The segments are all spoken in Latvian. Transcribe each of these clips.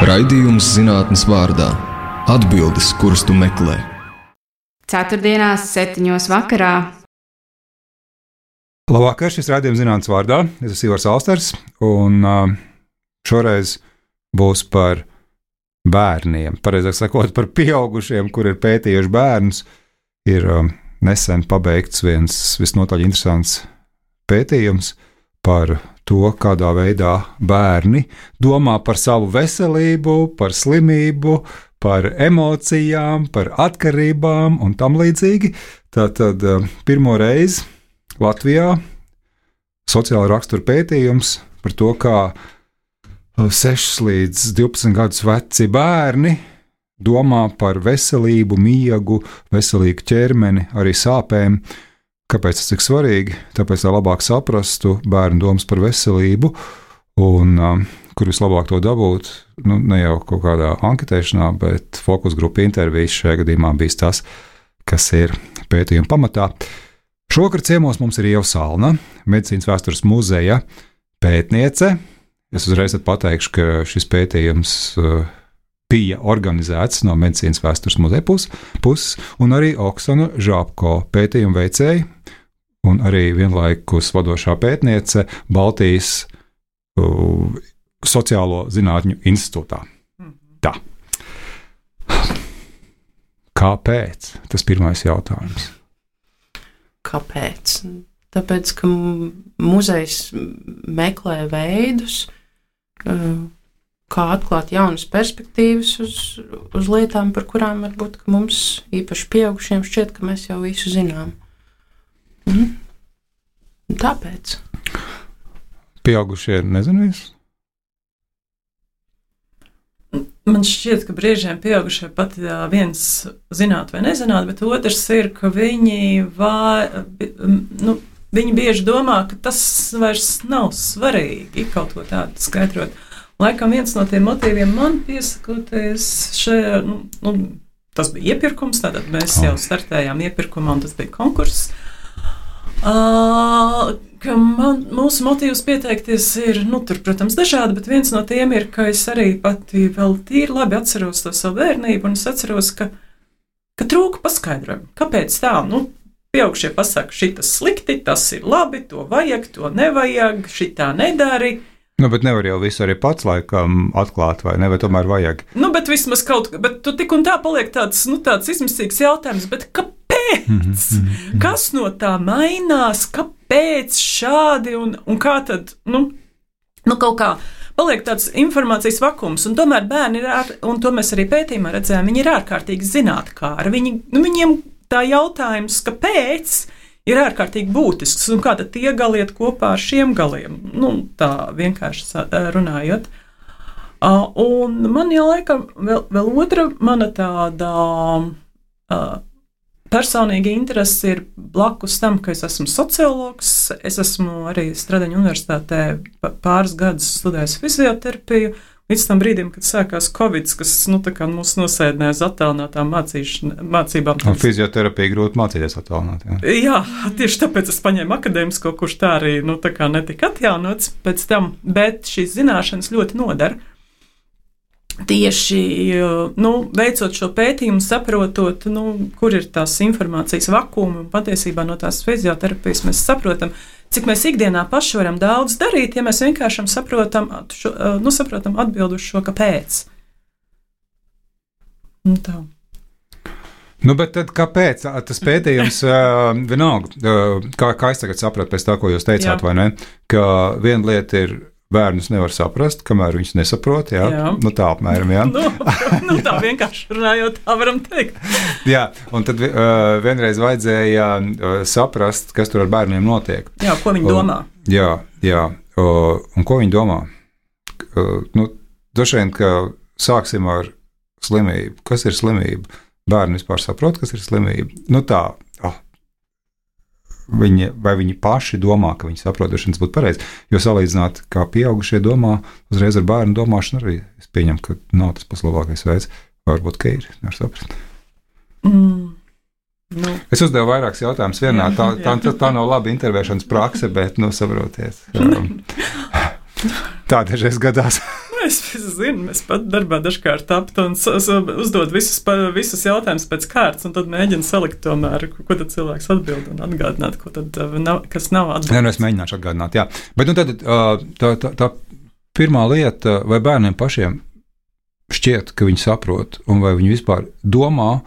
Raidījums zinātnes vārdā – atbildes, kuras tu meklē. Ceturtdienās 7:00 vakarā. Labvakar, šis raidījums zinātnes vārdā. Es esmu Ivars Alsters, un šoreiz būs par bērniem. Pareizāk sakot, par pieaugušiem, kur ir pētījuši bērnus. Ir nesen pabeigts viens visnotaļ interesants pētījums par to, kādā veidā bērni domā par savu veselību, par slimību, par emocijām, par atkarībām un tam līdzīgi. Tātad pirmo reizi Latvijā sociāla rakstura pētījums par to, kā 6 līdz 12 gadus veci bērni domā par veselību, miegu, veselīgu ķermeni, arī sāpēm. Kāpēc tas ir svarīgi? Tāpēc, lai labāk saprastu bērnu domas par veselību, un kur vislabāk to dabūt, ne jau kaut kādā anketēšanā, bet fokus grupu intervijas šajā gadījumā bija tas, kas ir pētījuma pamatā. Šovakar ciemos mums ir Ieva Salna, Medicīnas vēstures muzeja pētniece. Es uzreiz pateikšu, ka šis pētījums bija organizēts no Medicīnas vēstures muzeja puses, un arī Oksana Žāpko, pētījuma veicēja, un arī vienlaikus vadošā pētniece Baltijas Sociālo zinātņu institūtā. Tā. Kāpēc? Tas pirmais jautājums. Kāpēc? Tāpēc, ka muzejs meklē veidus, kā atklāt jaunas perspektīvas uz lietām, par kurām varbūt mums, īpaši pieaugušiem, šķiet, ka mēs jau visu zinām. Tāpēc. Pieaugušie nezinu visu? Man šķiet, ka brīžiem pieaugušie pat viens zināt vai nezināt, bet otrs ir, ka viņi bieži domā, ka tas vairs nav svarīgi kaut ko tādu skaidrot. Laikam viens no tiem motīviem man piesakoties šajā, tas bija iepirkums, tātad mēs jau startējām iepirkumā un tas bija konkurss. Ka mūsu motīvs pieteikties ir, tur, protams, dažādi, bet viens no tiem ir, ka es arī pati vēl tīri labi atceros to savu bērnību, un es atceros, ka trūka paskaidrojumu. Kāpēc tā? Pieaugušie pasaka, šitas slikti, tas ir labi, to vajag, to nevajag, šitā nedari. Bet nevar jau visu arī pats laikam atklāt, vai ne, vai tomēr vajag? Bet vismaz bet tu tik un tā paliek tāds izmisīgs jautājums, bet kāpēc? Kas no tā mainās? Kāpēc šādi un kā tad, kaut kā paliek tāds informācijas vakums, un tomēr bērni un to mēs arī pētījumā redzējām, viņi ir ārkārtīgi zinātkāri. Viņiem tā jautājums, kāpēc, ir ārkārtīgi būtisks, un kā tad tie gali iet kopā ar šiem galiem, tā vienkārši runājot. Un man jau laikam vēl otra mana tāda personīga interese ir blakus tam, ka es esmu sociologs, es esmu arī Stradiņu universitātē pāris gadus studējis fizioterapiju, līdz tam brīdim, kad sākās Covid, kas mūs nosēdināja uz attālinātām mācībām. Fizioterapija grūti mācīties attālināt. Jā, tieši tāpēc es paņēmu akadēmisko, kurš tā arī netika atjaunots pēc tam, bet šīs zināšanas ļoti nodara. Tieši veicot šo pētījumu, saprotot, kur ir tās informācijas vakumi, un patiesībā no tās fizioterapijas mēs saprotam, cik mēs ikdienā paši varam daudz darīt, ja mēs vienkārši saprotam atbildu uz šo, kāpēc. Tā. Bet tad kāpēc? Tas pētījums vienalga, kā es tagad sapratu pēc tā, ko jūs teicāt, vai ne, ka viena lieta ir bērnus nevar saprast, kamēr viņus nesaprot, jā? Tā apmēram, jā. Tā vienkārši runājot, tā varam teikt. Jā, un tad vienreiz vajadzēja saprast, kas tur ar bērniem notiek. Jā, ko viņi domā. Jā, un ko viņi domā? Droši vien, ka sāksim ar slimību. Kas ir slimība? Bērni vispār saprot, kas ir slimība? Vai viņi paši domā, ka viņi saprot, tas būtu pareizi. Jo salīdzināt, kā pieaugušie domā, uzreiz ar bērnu domāšanu arī es pieņemu, ka nav tas pats labākais veids. Varbūt, ka ir, nevar saprast. Es uzdevu vairākus jautājumus vienā. Tā nav laba intervēšanas prakse, bet, saprotiet. Tā dažreiz gadās. es zinu, mēs pat darbā dažkārt aptu un uzdod visus jautājumus pēc kārtas, un tad mēģinu salikt tomēr, ko tad cilvēks atbild un atgādināt, ko tad kas nav atbildēts. Jā, es mēģināšu atgādināt, jā. Bet tad tā pirmā lieta, vai bērniem pašiem šķiet, ka viņi saprot, un vai viņi vispār domā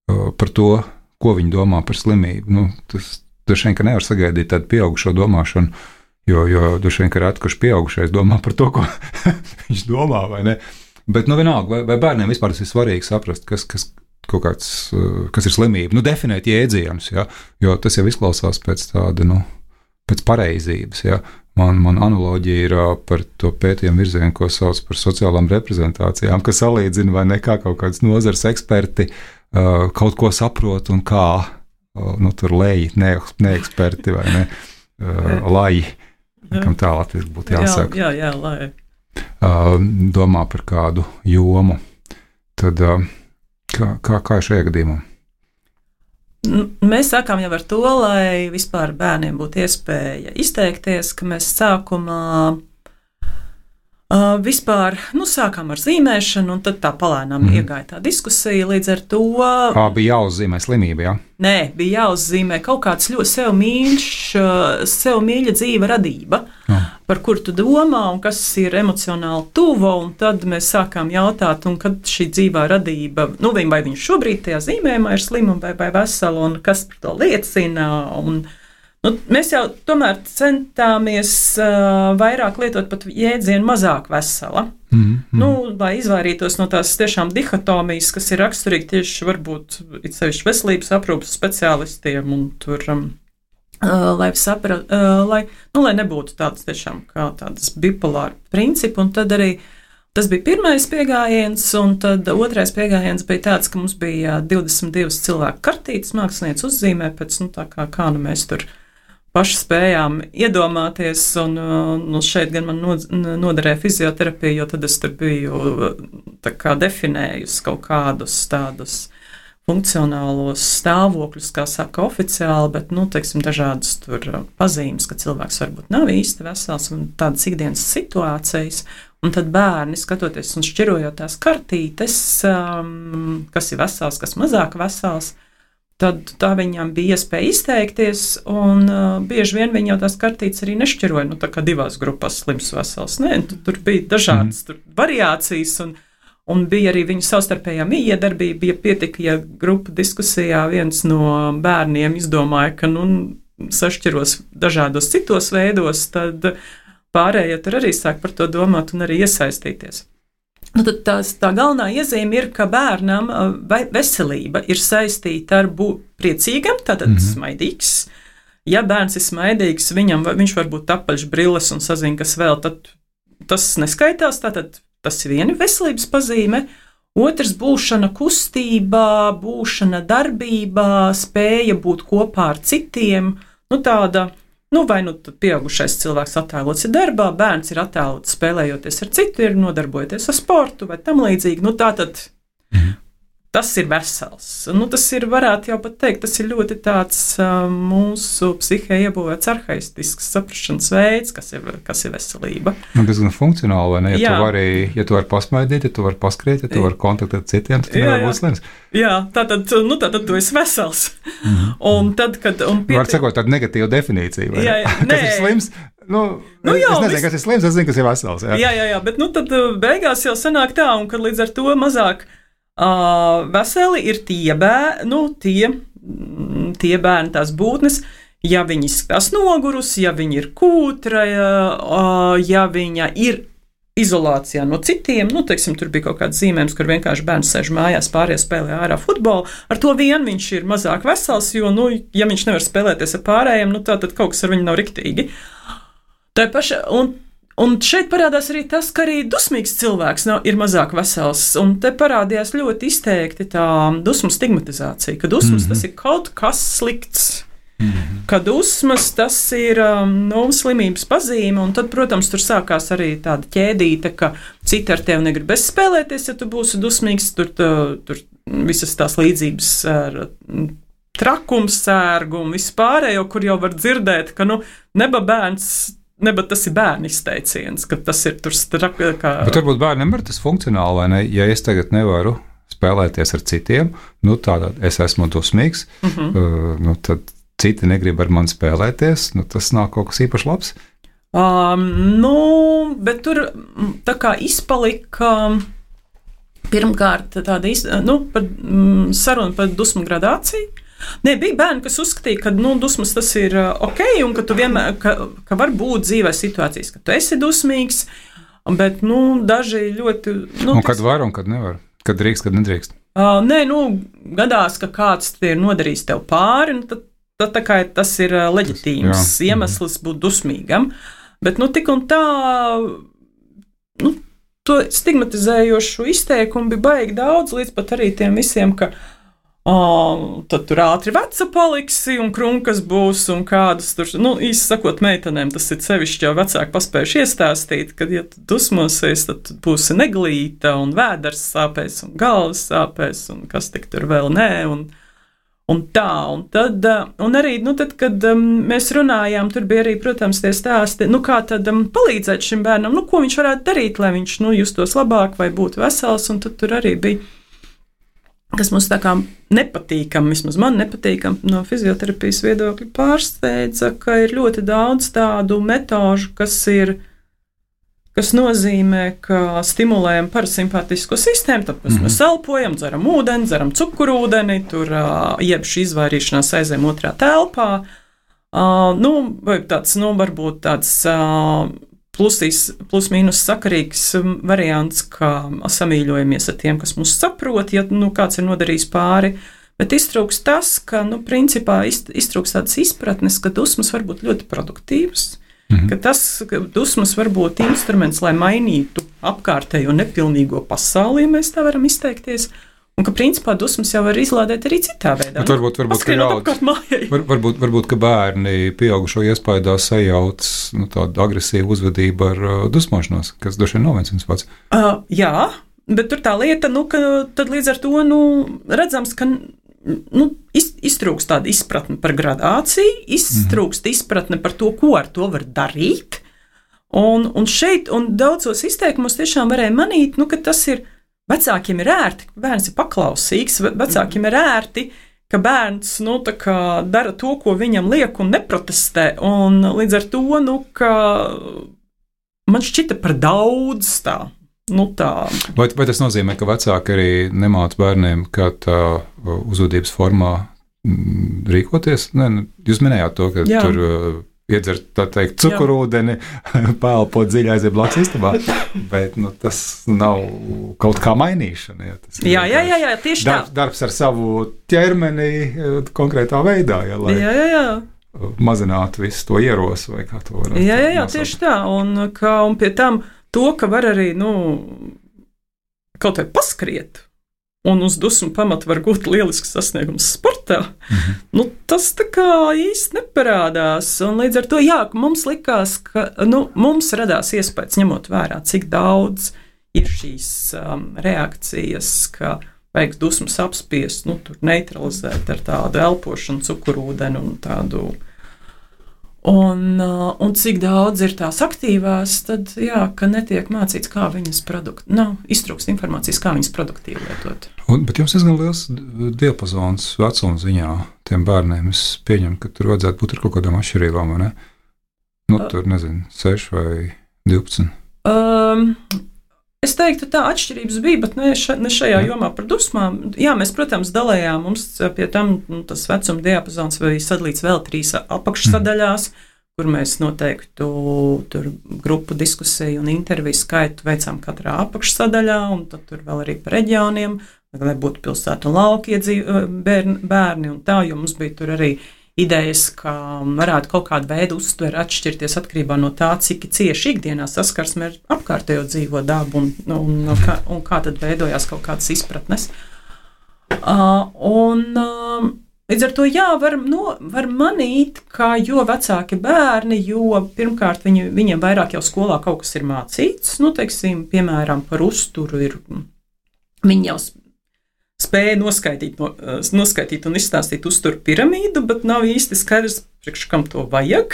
par to, ko viņi domā par slimību. Tas droši vien, ka nevar sagaidīt tādu pieaugušo domāšanu, jo droši vien, ka reti, kurš pieaugušais domā par to, ko viņš domā, vai ne? Bet, vienalga, vai bērniem vispār tas ir svarīgi saprast, kas ir slimība? Definēt jēdzienus, ja? Jo tas jau izklausās pēc tāda, pēc pareizības, ja? Man analoģija ir par to pētījumu virzienu, ko sauc par sociālām reprezentācijām, kas salīdzina vai ne kā kaut kāds nozars eksperti kaut ko saprot un kā, tur leji, neeksperti vai ne, laji, kam tā latviski būtu jāsaka. Jā, laji. Domā par kādu jomu. Tad kā šajā gadījumā? Mēs sākām jau ar to, lai vispār bērniem būtu iespēja izteikties, ka mēs sākumā vispār sākām ar zīmēšanu, un tad tā palēnām iegāja tā diskusija līdz ar to. Bija jāuzzīmē slimība, jā? Nē, bija jāuzzīmē kaut kāds ļoti sev mīļa dzīve radība, par kur tu domā un kas ir emocionāli tuva, un tad mēs sākām jautāt, un kad šī dzīvā radība, vai viņš šobrīd tajā zīmējumā ir slima vai vesela, un kas par to liecina, un mēs jau tomēr centāmies vairāk lietot pat jēdzienu mazāk vesela, lai izvairītos no tās tiešām dihotomijas, kas ir raksturīgi tieši varbūt it sevišķi veselības aprūpes speciālistiem, un tur, lai nebūtu tāds tiešām kā tādas bipolāra principi, un tad arī tas bija pirmais piegājiens, un tad otrais piegājiens bija tāds, ka mums bija 22 cilvēku kartītes, mākslinieci uzzīmē pēc, tā kā mēs tur paši spējām iedomāties, un šeit gan man noderēja fizioterapija, jo tad es tur biju tā kā definējusi kaut kādus tādus funkcionālos stāvokļus, kā saka oficiāli, bet, teiksim, dažādas tur pazīmes, ka cilvēks varbūt nav īsti vesels, un tādas ikdienas situācijas, un tad bērni, skatoties un šķirojot tās kartītes, kas ir vesels, kas mazāk vesels, tad tā viņam bija iespēja izteikties, un bieži vien viņi jau tās kartītes arī nešķiroja, tā kā divās grupās slims vesels. Nē, tur bija dažādas variācijas, un bija arī viņu savstarpējā miedarbība, bija pietika, ja grupa diskusijā viens no bērniem izdomāja, ka, sašķiros dažādos citos veidos, tad pārējie tur arī sāk par to domāt un arī iesaistīties. Tad tā galvenā iezīme ir, ka bērnam veselība ir saistīta ar priecīgam, tātad smaidīgs. Ja bērns ir smaidīgs, viņš var būt apaļš brilles un sazina, kas vēl, tad tas neskaitās, tātad tas ir viena veselības pazīme. Otrs būšana kustībā, būšana darbībā, spēja būt kopā ar citiem, tāda. Vai tad pieaugušais cilvēks attēlots ir darbā, bērns ir attēlots spēlējoties ar citu, ir nodarbojoties ar sportu vai tam līdzīgi. Tātad tas ir vesels. Tas ir, varētu jau pat teikt, tas ir ļoti tāds mūsu psihē iebūvēts arhaistisks saprašanas veids, kas ir veselība. Tas gan funkcionāli, vai ne? Ja tu vari pasmaidīt, ja tu vari paskriet, ja tu vari kontaktēt citiem, tad tu nevar būt slims. Jā, tātad tu esi vesels. Un tad, kad... Var sakot tādu negatīvu definīciju, vai kas ir slims? Es nezinu, kas ir slims, es zinu, kas ir vesels. Jā, bet tad beigās jau sanāk tā, un kad līdz ar to mazāk veseli ir tie bērni, tās būtnes, ja viņi izskatās nogurusi, ja viņi ir kūtra, ja viņa ir izolācijā no citiem, teiksim, tur bija kaut kāds zīmējums, kur vienkārši bērns sēž mājās, pārējie spēlē ārā futbolu, ar to vien viņš ir mazāk vesels, jo, ja viņš nevar spēlēties ar pārējiem, tad kaut kas ar viņu nav riktīgi. Tā paša, un šeit parādās arī tas, ka arī dusmīgs cilvēks ir mazāk vesels, un te parādījās ļoti izteikti tā dusmu stigmatizācija, ka dusmas tas ir kaut kas slikts, ka dusmas tas ir slimības pazīme, un tad, protams, tur sākās arī tāda ķēdīte, ka citi ar tevi negribēs spēlēties, ja tu būsi dusmīgs, tur visas tās līdzības ar trakums, sērgu un vispārējo, kur jau var dzirdēt, ka neba bērns bet tas ir bērnu izteiciens, ka tas ir tur kā... Bet varbūt bērniem ir tas funkcionāli, vai ne? Ja es tagad nevaru spēlēties ar citiem, nu tādā es esmu dusmīgs, nu tad citi negrib ar mani spēlēties, nu tas nav kaut kas īpaši labs. Nu, bet tur tā kā izpalika pirmkārt tāda saruna par dusmu gradāciju. Nē, bija bērni, kas uzskatīja, ka dusmas tas ir ok, un ka tu vienmēr, ka var būt dzīvē situācijas, ka tu esi dusmīgs, bet, daži ļoti... Un kad var un kad nevar? Kad drīkst, kad nedrīkst? Nē, gadās, ka kāds ir nodarījis tev pāri, tad tā kā tas ir leģitīms iemesls būt dusmīgam, bet, tik un tā, to stigmatizējošu izteikumu bija baigi daudz, līdz pat arī tiem visiem, ka tad tur ātri veca paliksi un krunkas būs un kādas tur, īsi sakot meitenēm, tas ir sevišķi jau vecāki paspējuši iestāstīt, kad, ja tu dusmosies, tad tu būsi neglīta un vēders sāpēs un galvas sāpēs un kas tik tur vēl nē un tā, un tad, un arī, tad, kad mēs runājām, tur bija arī, protams, tie stāsti, kā tad palīdzēt šim bērnam, ko viņš varētu darīt, lai viņš, justos labāk vai būtu vesels, un tad tur arī bija kas mums tā kā nepatīkam, vismaz man nepatīkam no fizioterapijas viedokļa pārsteidza, ka ir ļoti daudz tādu metožu, kas nozīmē, ka stimulējam parasimpātisko sistēmu, tāpēc mēs elpojam, dzeram ūdeni, dzeram cukurūdeni, tur jeb šī izvairīšanās aizējam otrā telpā, vai tāds, varbūt tāds plus-mínus sakarīgs variants, kā samīļojamies ar tiem, kas mūs saprot, ja kāds ir nodarījis pāri, bet iztrūks tas, ka, principā iztrūks tādas izpratnes, ka dusmas var būt ļoti produktīvas, ka dusmas var būt instruments, lai mainītu apkārtējo nepilnīgo pasauli, ja mēs tā varam izteikties, un ka, principā, dusmas jau var izlādēt arī citā veidā. Varbūt, ka bērni pieaugušo iespaidā sajauc tādu agresīvu uzvedību ar dusmošanos, kas droši vien nav viens pats. Jā, bet tur tā lieta, ka tad līdz ar to, redzams, ka iztrūkst tāda izpratne par gradāciju, iztrūkst izpratne par to, ko ar to var darīt, un šeit, un daudzos izteikumos tiešām varēja manīt, ka tas ir vecākiem ir ērti, ka bērns ir paklausīgs, vecākiem ir ērti, ka bērns dara to, ko viņam liek un neprotestē, un līdz ar to, ka man šķita par daudz tā. Vai tas nozīmē, ka vecāki arī nemāca bērniem, kā tā uzvedības formā rīkoties? Nē, jūs minējāt to, ka tur iedzert, tā teikt, cukurūdeni, pēlpot dziļi aiziet blakus istabā, bet tas nav kaut kā mainīšana. Ja, jā, tieši tā. Darbs ar savu ķermeni konkrētā veidā, lai mazinātu visu to ierosu, vai kā to varētu. Jā, tieši tā, un pie tam to, ka var arī, kaut vai paskriet, un uz dusmu pamatu var gūt lielisks sasniegums sportā, tas tā kā īsti neparādās. Un līdz ar to, mums likās, ka mums radās iespējas, ņemot vērā, cik daudz ir šīs reakcijas, ka vajag dusmas apspiest, tur neutralizēt ar tādu elpošanu, cukurūdeni un tādu. Un cik daudz ir tās aktīvās, tad, ka netiek mācīts, kā viņas iztrūkst informācijas, kā viņas produktīvi lietot. Bet jums diezgan liels diapazons vecuma ziņā tiem bērniem. Es pieņemu, ka tur vajadzētu būt ar kaut kādām atšķirībām, vai ne? Tur, 6 vai 12. Es teiktu, tā atšķirības bija, bet ne šajā jomā par dusmām. Jā, mēs, protams, dalējām, mums pie tam tas vecuma diapazons bija sadalīts vēl 3 apakšsadaļās, kur mēs noteiktu tur grupu diskusiju un interviju skaitu veicām katrā apakšsadaļā, un tad tur vēl arī par reģioniem, lai būtu pilsētu un lauki bērni un tā, jo mums bija tur arī idejas, ka varētu kaut kādu veidu uztveri atšķirties atkarībā no tā, cik cieši ikdienā saskarsme ar apkārtējo dzīvo dabu un kā tad veidojās kaut kādas izpratnes. Līdz ar to, var manīt, ka jo vecāki bērni, jo pirmkārt viņiem vairāk jau skolā kaut kas ir mācīts, teiksim, piemēram, par uzturu ir, viņi jau spēja noskaitīt un izstāstīt uzturu piramīdu, bet nav īsti skaidrs, priekš kam to vajag.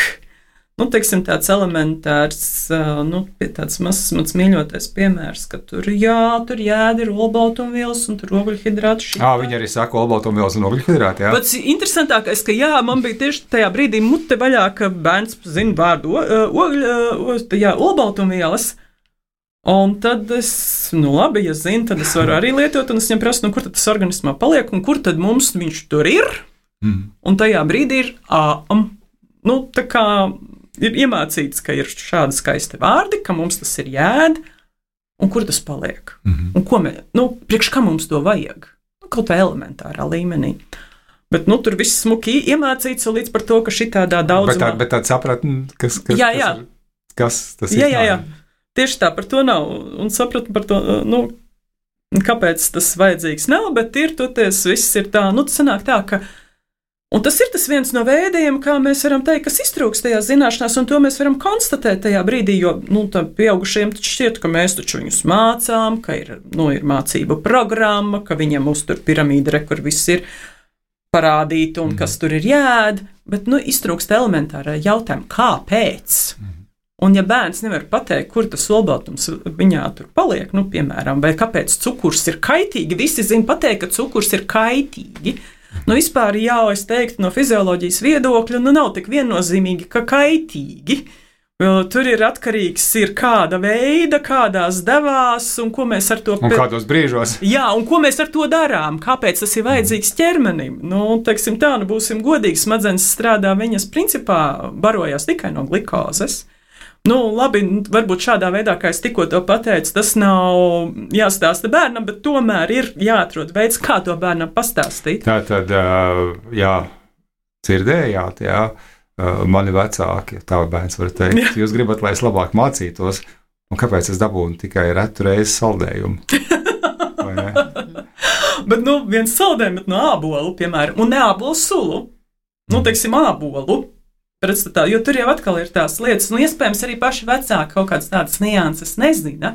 teiksim, tāds elementārs, tāds mazs mans mīļotais piemērs, ka tur jēda ir olbaltumvielas un tur ogļhidrāti. Viņi arī saka olbaltumvielas un ogļhidrāti, jā. Pats interesantākais, ka man bija tieši tajā brīdī mute vaļā, ka bērns zina vārdu olbaltumvielas. Un tad es, labi, ja zinu, tad es varu arī lietot, un es viņam prasu, kur tad tas organismā paliek, un kur tad mums viņš tur ir. Un tajā brīdī ir, tā kā ir iemācīts, ka ir šādi skaisti vārdi, ka mums tas ir jēda, un kur tas paliek. Un ko priekš kā mums to vajag? Kaut vai elementārā līmenī. Bet, tur viss smuki iemācīts līdz par to, ka šitādā daudzumā. Bet tāda sapratne, kas tas ir? Jā. Tieši tā par to nav, un sapratni par to, kāpēc tas vajadzīgs nav, bet ir, toties viss ir tā, tas sanāk tā, ka un tas ir tas viens no veidiem, kā mēs varam teikt, kas iztrūkst tajās zināšanās, un to mēs varam konstatēt tajā brīdī, jo, tam pieaugušiem taču šķiet, ka mēs taču viņus mācām, ka ir mācību programma, ka viņam uztur piramīda, kur viss ir parādīta un kas tur ir jēda, bet, iztrūkst elementāra jautājuma, kāpēc? Un ja bērns nevar pateikt, kur tas olbaltums viņā tur paliek, piemēram, vai kāpēc cukurs ir kaitīgi, visi zina pateikt, ka cukurs ir kaitīgi. Vispār es teiktu, no fizioloģijas viedokļa, nav tik viennozīmīgi, ka kaitīgi. Tur ir atkarīgs kāda veida, kādās devās, un ko mēs ar to... Un kādos brīžos. Jā, un ko mēs ar to darām, kāpēc tas ir vajadzīgs ķermenim. Teiksim tā, būsim godīgi, smadzenes strādā, viņas principā barojās tikai no glikозes. Labi, varbūt šādā veidā, kā es tikko to pateicu, tas nav jāstāsta bērnam, bet tomēr ir jāatrod veids, kā to bērnam pastāstīt. Tā tad, dzirdējāt, mani vecāki, tā bērns var teikt, jūs gribat, lai es labāk mācītos, un kāpēc es dabūnu tikai retu reizi saldējumu? Vai ne? Bet, viens saldējums no ābolu, piemēram, un ne ābolu sulu, teiksim, ābolu. Pretstatā, jo tur jau atkal ir tās lietas, iespējams arī paši vecāki kaut kādas tādas nianses nezina,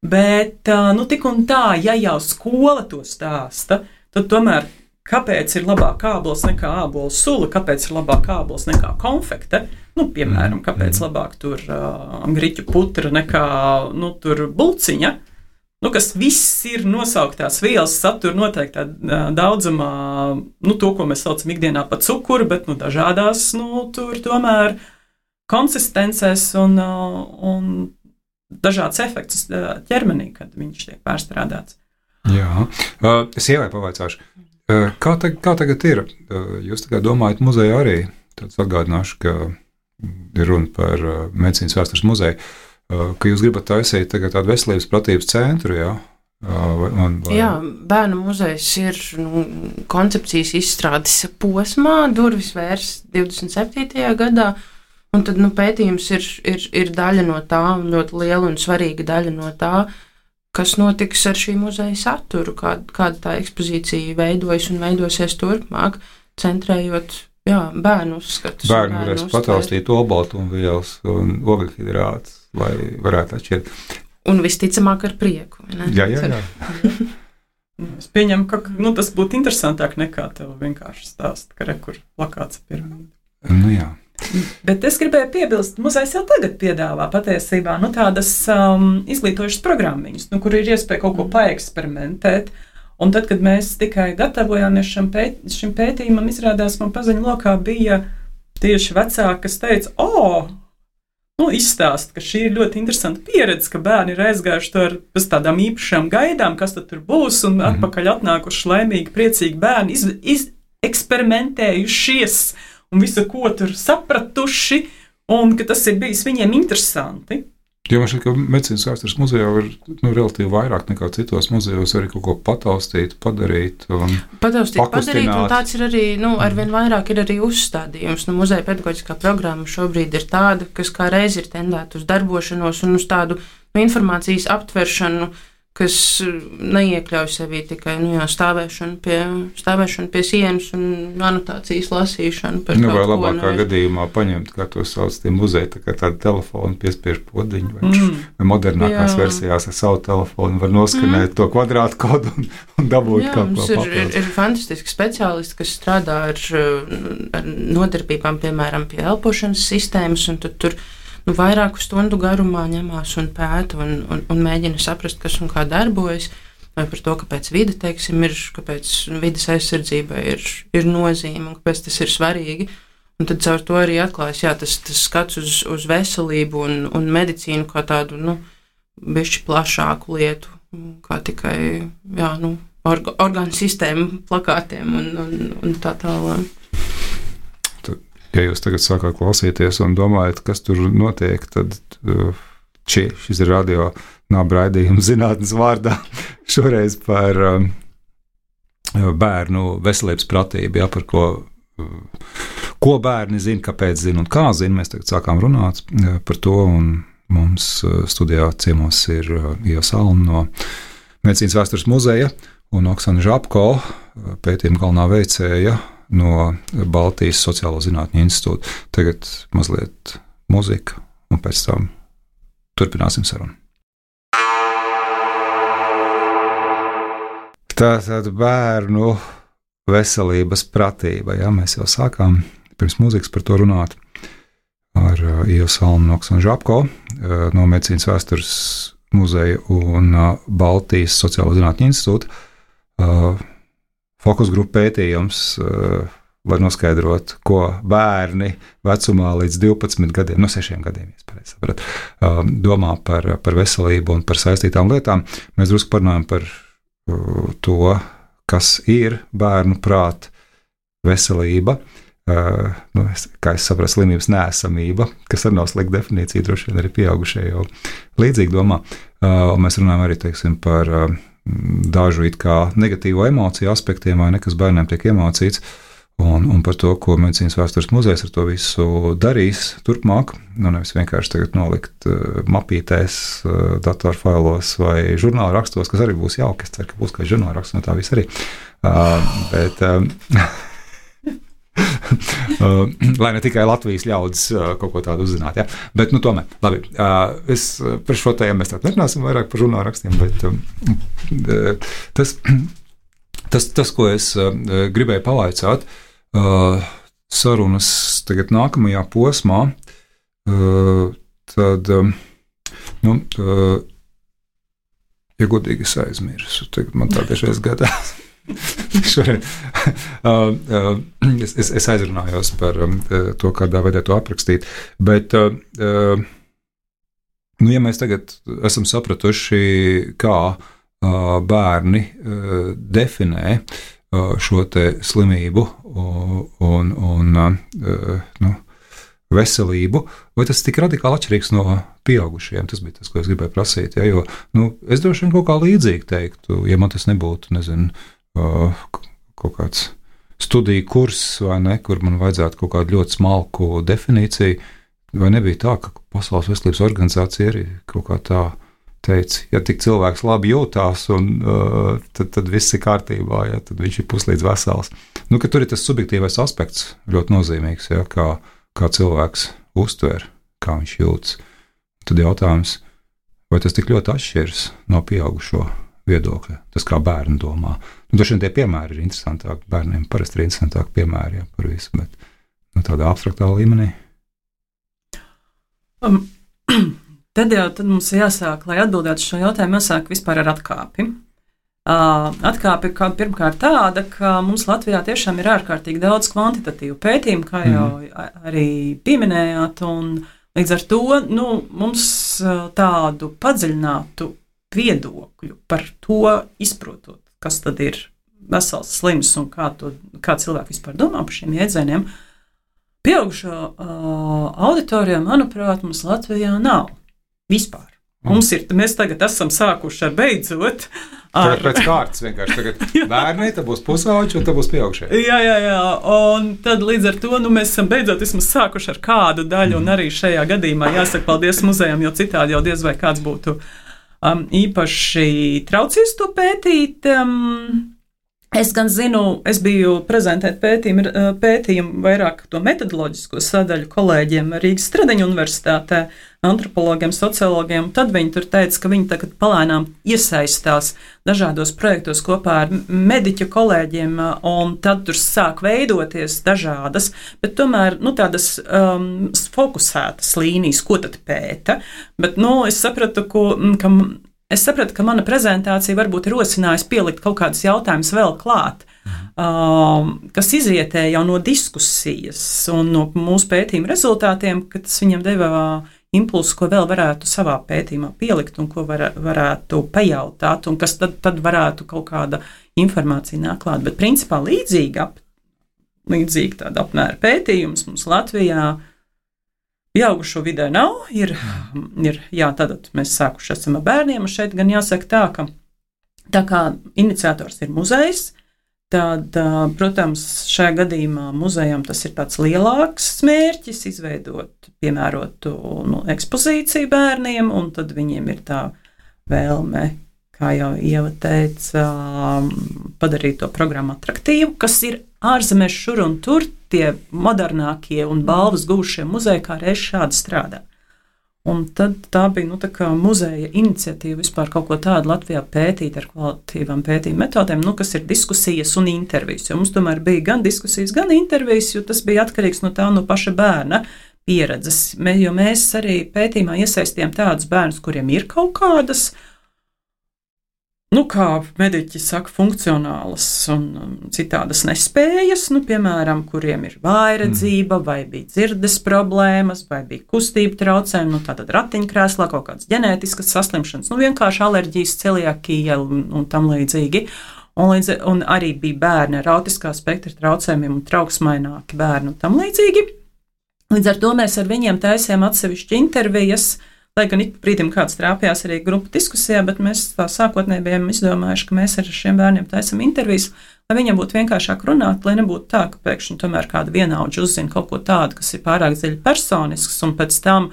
bet, tik un tā, ja jau skola to stāsta, tad tomēr, kāpēc ir labāk ābols nekā ābola sula, kāpēc ir labāk ābols nekā konfekte, piemēram, kāpēc labāk tur griķu putra nekā, tur bulciņa, kas viss ir nosauktās vielas, satur noteiktā daudzumā, to, ko mēs saucam ikdienā par cukuru, bet, dažādās, tur tomēr konsistencēs un dažāds efekts ķermenī, kad viņš tiek pārstrādāts. Jā, es ievai pavaicāšu. Kā tagad ir? Jūs tagad domājat muzeja arī, tāds atgādināšu, ka ir runa par medicīnas vēstures muzeju, ka jūs gribat taisīt tagad tādu veselības pratības centru, jā? Jā, bērnu muzejs ir koncepcijas izstrādes posmā, durvis vērs 27. gadā, un tad pētījums ir daļa no tā, ļoti liela un svarīga daļa no tā, kas notiks ar šī muzeja saturu, kāda tā ekspozīcija veidojas un veidosies turpmāk, centrējot bērnu uzskatus. Bērni varēs pataustīt olbaltumvielas un ogļhidrātus, lai varētu atšķirt. Un visticamāk ar prieku. Jā. Es pieņemu, ka tas būtu interesantāk nekā tev vienkārši stāst, ka rekur plakāts piramīda. Jā. Bet es gribēju piebilst, muzejs jau tagad piedāvā patiesībā tādas izglītojušas programmiņas, kur ir iespēja kaut ko paeksperimentēt. Un tad, kad mēs tikai gatavojāmies šim pētījumam, izrādās, man paziņu lokā bija tieši vecāki, kas teica, izstāst, ka šī ir ļoti interesanta pieredze, ka bērni ir aizgājuši pēc tādām īpašām gaidām, kas tad tur būs, un atpakaļ atnākuši laimīgi, priecīgi bērni, eksperimentējušies un visu, ko tur sapratuši, un ka tas ir bijis viņiem interesanti. Jo man šķiet, ka medicīnas vēstures muzejā ir relatīvi vairāk nekā citos muzejos arī kaut ko pataustīt, padarīt. Padarīt, un tāds ir arī, arvien vairāk ir arī uzstādījums. Muzeja pedagoģiskā programma šobrīd ir tāda, kas kā reiz ir tendēta uz darbošanos un uz tādu informācijas aptveršanu, kas neiekļauj sevī tikai stāvēšanu pie sienas un anotācijas lasīšanu. Vai labākā gadījumā paņemt, kā to sauc, tie muzeji, tā kā tādu telefonu piespiež podiņu, vai modernākās versijās ar savu telefonu var noskanēt to kvadrātu kodu un dabūt kaut ko papildus. Ir fantastiski speciālisti, kas strādā ar nodarbībām, piemēram, pie elpošanas sistēmas, un tad tur vairāku stundu garumā ņemās un pēta un mēģina saprast, kas un kā darbojas, vai par to, kāpēc vide, teiksim, kāpēc vides aizsardzībai ir nozīme un kāpēc tas ir svarīgi. Un tad caur to arī atklājas, tas skats uz veselību un medicīnu kā tādu, bišķi plašāku lietu, kā tikai, orgānu sistēmu plakātiem un tā tālāk. Ja jūs tagad sākāt klausīties un domājat, kas tur notiek, tad šis ir radio nāba raidījums zinātnes vārdā. Šoreiz par bērnu veselības pratību, par ko bērni zina, kāpēc zina un kā zina. Mēs tagad sākām runāt par to, un mums studijā ciemos ir Ieva Salma no Medicīnas vēstures muzeja un Oksana Žabko, pētījuma galvenā veicēja no Baltijas Sociālo zinātņu institūta. Tagad mazliet muzika, un pēc tam turpināsim sarunu. Tātad bērnu veselības pratība. Mēs jau sākām pirms mūzikas par to runāt ar Ievu Salmu un Oksanu Žabko no Medicīnas vēstures muzeja un Baltijas Sociālo zinātņu institūta. Fokus grupa pētījums, lai noskaidrotu, ko bērni vecumā līdz 12 gadiem, 6 gadiem, domā par veselību un par saistītām lietām. Mēs drusku parunājam par to, kas ir bērnu prāt veselība, kā es saprotu, slimības neesamība, kas arī nav slikta definīcija, droši vien arī pieaugušie jau līdzīgi domā. Un mēs runājam arī, teiksim, par dažu it kā negatīvo emociju aspektiem, vai ne, kas bērniem tiek iemācīts, un par to, ko Medicīnas vēstures muzejs ar to visu darīs turpmāk. Nevis vienkārši tagad nolikt mapītēs, datorfailos vai žurnāla rakstos, kas arī būs jauki. Es ceru, ka būs kā žurnāla raksts, no tā viss arī. Lai ne tikai Latvijas ļaudis kaut ko tādu uzzinātu. Ja? Bet, tomēr, labi, es par šo tēmu mēs tātad nerunāsim vairāk par žurnāla rakstiem, bet tas, ko es gribēju pavaicāt, sarunas tagad nākamajā posmā, tad, ja godīgi es aizmirsu, tagad man tā tiešais gadās. Es aizrunājos par to, kādā veidā to aprakstīt, bet, ja mēs tagad esam sapratuši, kā bērni definē šo te slimību un veselību, vai tas tik radikāli atšķirīgs no pieaugušiem? Tas bija tas, ko es gribēju prasīt, jo es droši vien kaut kā līdzīgi teiktu, ja man tas nebūtu, kaut kāds studiju kurs, vai ne, kur man vajadzētu kaut kādu ļoti smalku definīciju, vai nebija tā, ka Pasaules veselības organizācija arī kaut kā tā teica, ja tik cilvēks labi jūtās, un tad viss ir kārtībā, ja, tad viņš ir puslīdz vesels. Ka tur ir tas subjektīvais aspekts ļoti nozīmīgs, ja, kā cilvēks uztver, kā viņš jūtas. Tad jautājums, vai tas tik ļoti atšķiras no pieaugušo viedokļa, tas kā bērni domā. Droši vien tie piemēri ir interesantāki, bērniem parasti ir interesantāki piemēri par visu, bet tādā abstraktā līmenī. Tad mums jāsāk, lai atbildētu šo jautājumu, jāsāk vispār ar atkāpi. Atkāpe kā pirmkārt tāda, ka mums Latvijā tiešām ir ārkārtīgi daudz kvantitatīvu pētījumu, kā jau arī pieminējāt, un līdz ar to mums tādu padziļinātu viedokļu par to izprotot, kas tad ir vesels slims un kā cilvēki vispār domā par šiem jēdzieniem. Pieaugušo auditorijā, manuprāt, mums Latvijā nav vispār. Mēs tagad esam sākuši ar beidzot. Tagad pēc kārtas vienkārši. Tagad bērni, tad būs pusauģi un tad būs pieaugušie. Jā. Un tad līdz ar to mēs esam beidzot vismaz sākuši ar kādu daļu, un arī šajā gadījumā jāsaka paldies muzejam, jo citādi jau diez vai kāds būtu īpaši traucies to pētīt. Es gan zinu, es biju prezentēt pētījumu vairāk to metodoloģisko sadaļu kolēģiem Rīgas Stradiņu universitātē, antropologiem, sociologiem, tad viņi tur teica, ka viņi tagad palēnām iesaistās dažādos projektos kopā ar mediķu kolēģiem, un tad tur sāk veidoties dažādas, bet tomēr, tādas fokusētas līnijas, ko tad pēta, bet, es sapratu, ka mana prezentācija varbūt ir rosinājusi pielikt kaut kādus jautājumus vēl klāt, kas izrietēja jau no diskusijas un no mūsu pētījuma rezultātiem, ka tas viņam deva impulsu, ko vēl varētu savā pētījumā pielikt un ko varētu pajautāt, un kas tad varētu kaut kāda informācija nāk klāt. Bet principā līdzīgi tāda apmēra pētījums mums Latvijā pieaugušo vidē nav, tātad mēs sākuši esam ar bērniem, un šeit gan jāsaka tā kā iniciators ir muzejs, tad, protams, šajā gadījumā muzejam tas ir tāds lielāks mērķis, izveidot piemērotu ekspozīciju bērniem, un tad viņiem ir tā vēlme, kā jau Ieva teica, padarīt to programmu atraktīvu, kas ir ārzemēs šur un tur tie modernākie un balvas guvušie muzeji, kā reiz šādi strādā. Un tad tā bija tā kā muzeja iniciatīva vispār kaut ko tādu Latvijā pētīt ar kvalitīvām pētījuma metodēm, kas ir diskusijas un intervijas. Jo mums tomēr bija gan diskusijas, gan intervijas, jo tas bija atkarīgs no paša bērna pieredzes. Jo mēs arī pētījumā iesaistījām tādus bērnus, kuriem ir kaut kādas, kā mediķi saka, funkcionālas un citādas nespējas, piemēram, kuriem ir vājredzība, vai bija dzirdes problēmas, vai bija kustība traucējumi, tātad ratiņkrēslā, kaut kādas ģenētiskas saslimšanas, vienkārši alerģijas, celiakija un tam līdzīgi. Un arī bija bērni ar autiskā spektra traucējumiem un trauksmaināki bērni un tam līdzīgi. Līdz ar to mēs ar viņiem taisījām atsevišķi intervijas, lai gan ik brīdim kāds trāpījās arī grupu diskusijā, bet mēs tā sākotnēji bijām izdomājuši, ka mēs ar šiem bērniem taisam intervijas, lai viņiem būtu vienkāršāk runāt, lai nebūtu tā, ka pēkšņi tomēr kāda vienaudža uzzina kaut ko tādu, kas ir pārāk dziļi personisks, un pēc tam,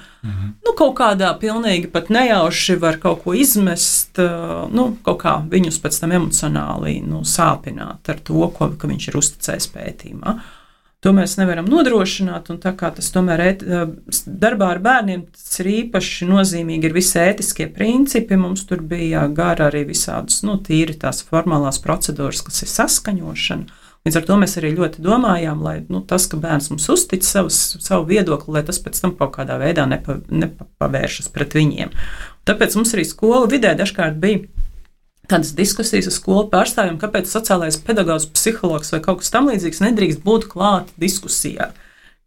kaut kādā pilnīgi pat nejauši var kaut ko izmest, kaut kā viņus pēc tam emocionāli, sāpināt ar to, ka viņš ir uzticējis pētījumā. To mēs nevaram nodrošināt, un tā kā tas tomēr darbā ar bērniem tas ir īpaši nozīmīgi, ir visi ētiskie principi, mums tur bija gara arī visādas, tīri tās formālās procedūras, kas ir saskaņošana. Līdz ar to mēs arī ļoti domājām, lai tas, ka bērns mums uztic savu viedokli, lai tas pēc tam kaut kādā veidā nepavēršas pret viņiem. Tāpēc mums arī skola vidē dažkārt bija tādas diskusijas ar skolu pārstāvjiem, kāpēc sociālais pedagogs, psihologs vai kaut kas tam līdzīgs nedrīkst būt klāt diskusijā.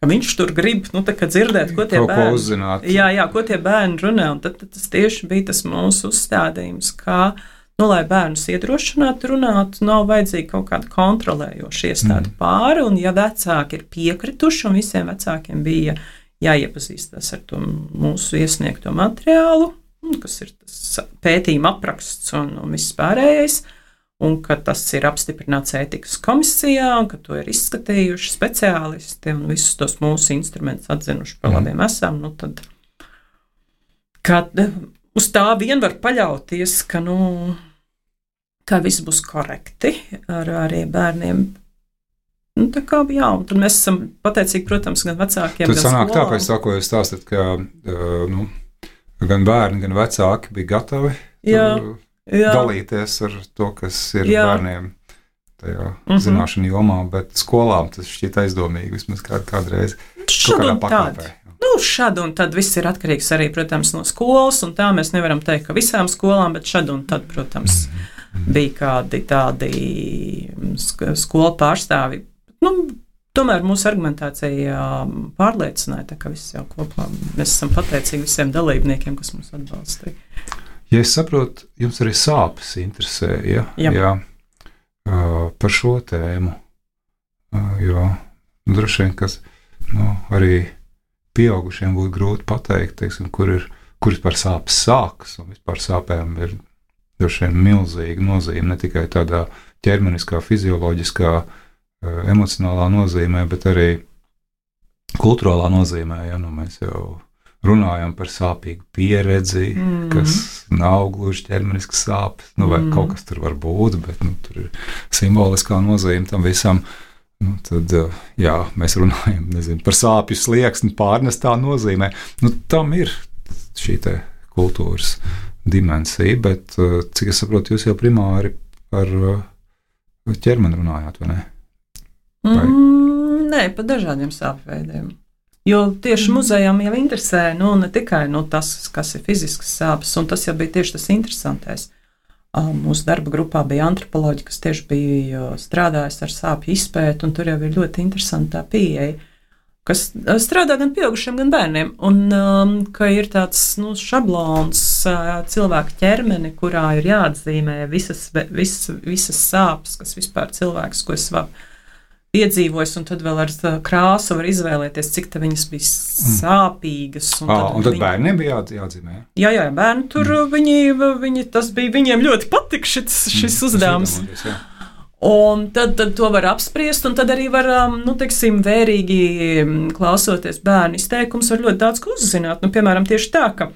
Ka viņš tur grib, dzirdēt, ko tie bērni uzzināt. Jā, ko tie bērni runā, un tad tas tieši bija tas mūsu uzstādījums, kā, lai bērnus iedrošinātu runāt, nav vajadzīga kaut kāda kontrolējoša iestāde pāri, un ja vecāki ir piekrituši, un visiem vecākiem bija jāiepazīstās ar to mūsu iesniegto materiālu, kas ir tas pētījuma apraksts un viss pārējais, un ka tas ir apstiprināts ētikas komisijā, un ka to ir izskatījuši speciālisti un visus tos mūsu instrumentus atzinuši par labiem esam, tad uz tā vien var paļauties, ka viss būs korekti ar arī bērniem. Tā kā, jā, un tad mēs esam pateicīgi, protams, gan vecākiem, gan skolām. Tad sanāk tā, pēc tā, ko jūs stāstat, ka gan bērni, gan vecāki bija gatavi dalīties ar to, kas ir bērniem tajā zināšanu jomā, bet skolām tas šķiet aizdomīgi vismaz kādreiz kaut kādā pakāpē. Šad un tad viss ir atkarīgs arī, protams, no skolas, un tā mēs nevaram teikt, ka visām skolām, bet šad un tad, protams, bija kādi tādi skolu pārstāvi. Tomēr mūsu argumentācija pārliecināja, ka viss jau kopā. Mēs esam pateicīgi visiem dalībniekiem, kas mums atbalstīja. Ja es saprotu, jums arī sāpes interesē, ja? Par šo tēmu. Jo droši vien, kas arī pieaugušiem būtu grūti pateikt, teiksim, kur par sāpes sākas, un vispār sāpēm ir droši vien milzīga nozīme, ne tikai tādā ķermeniskā, fizioloģiskā, emocionālā nozīmē, bet arī kultūrālā nozīmē, mēs jau runājam par sāpīgu pieredzi, kas nav gluži ķermenisks sāpes, vai kaut kas tur var būt, bet tur ir simboliskā nozīme tam visam. Tad, jā, mēs runājam, par sāpju slieksni pārnestā nozīmē. Tam ir šī te kultūras dimensija, bet, cik es saprotu, jūs jau primāri par ķermeni runājāt, vai ne? Nē, par dažādiem sāpju veidiem. Jo tieši muzejām jau interesē, ne tikai tas, kas ir fiziskas sāpes, un tas jau bija tieši tas interesantais. Mūsu darba grupā bija antropoloģi, kas tieši bija strādājis ar sāpju izpēti, un tur jau ir ļoti interesanta pieeja, kas strādā gan pieaugušiem, gan bērniem, un ka ir tāds šablons cilvēka ķermeni, kurā ir jāatzīmē visas sāpes, kas vispār cilvēks, ko es piedzīvojis, un tad vēl ar krāsu var izvēlēties, cik tā viņas bija sāpīgas. Un tad bērniem bija jāatzīmē? Jā, bērni tur, tas bija viņiem ļoti patika šis uzdevums. Un tad to var apspriest, un tad arī var, vērīgi klausoties bērnu izteikums, var ļoti daudz ko uzzināt. Piemēram, tieši tā, ka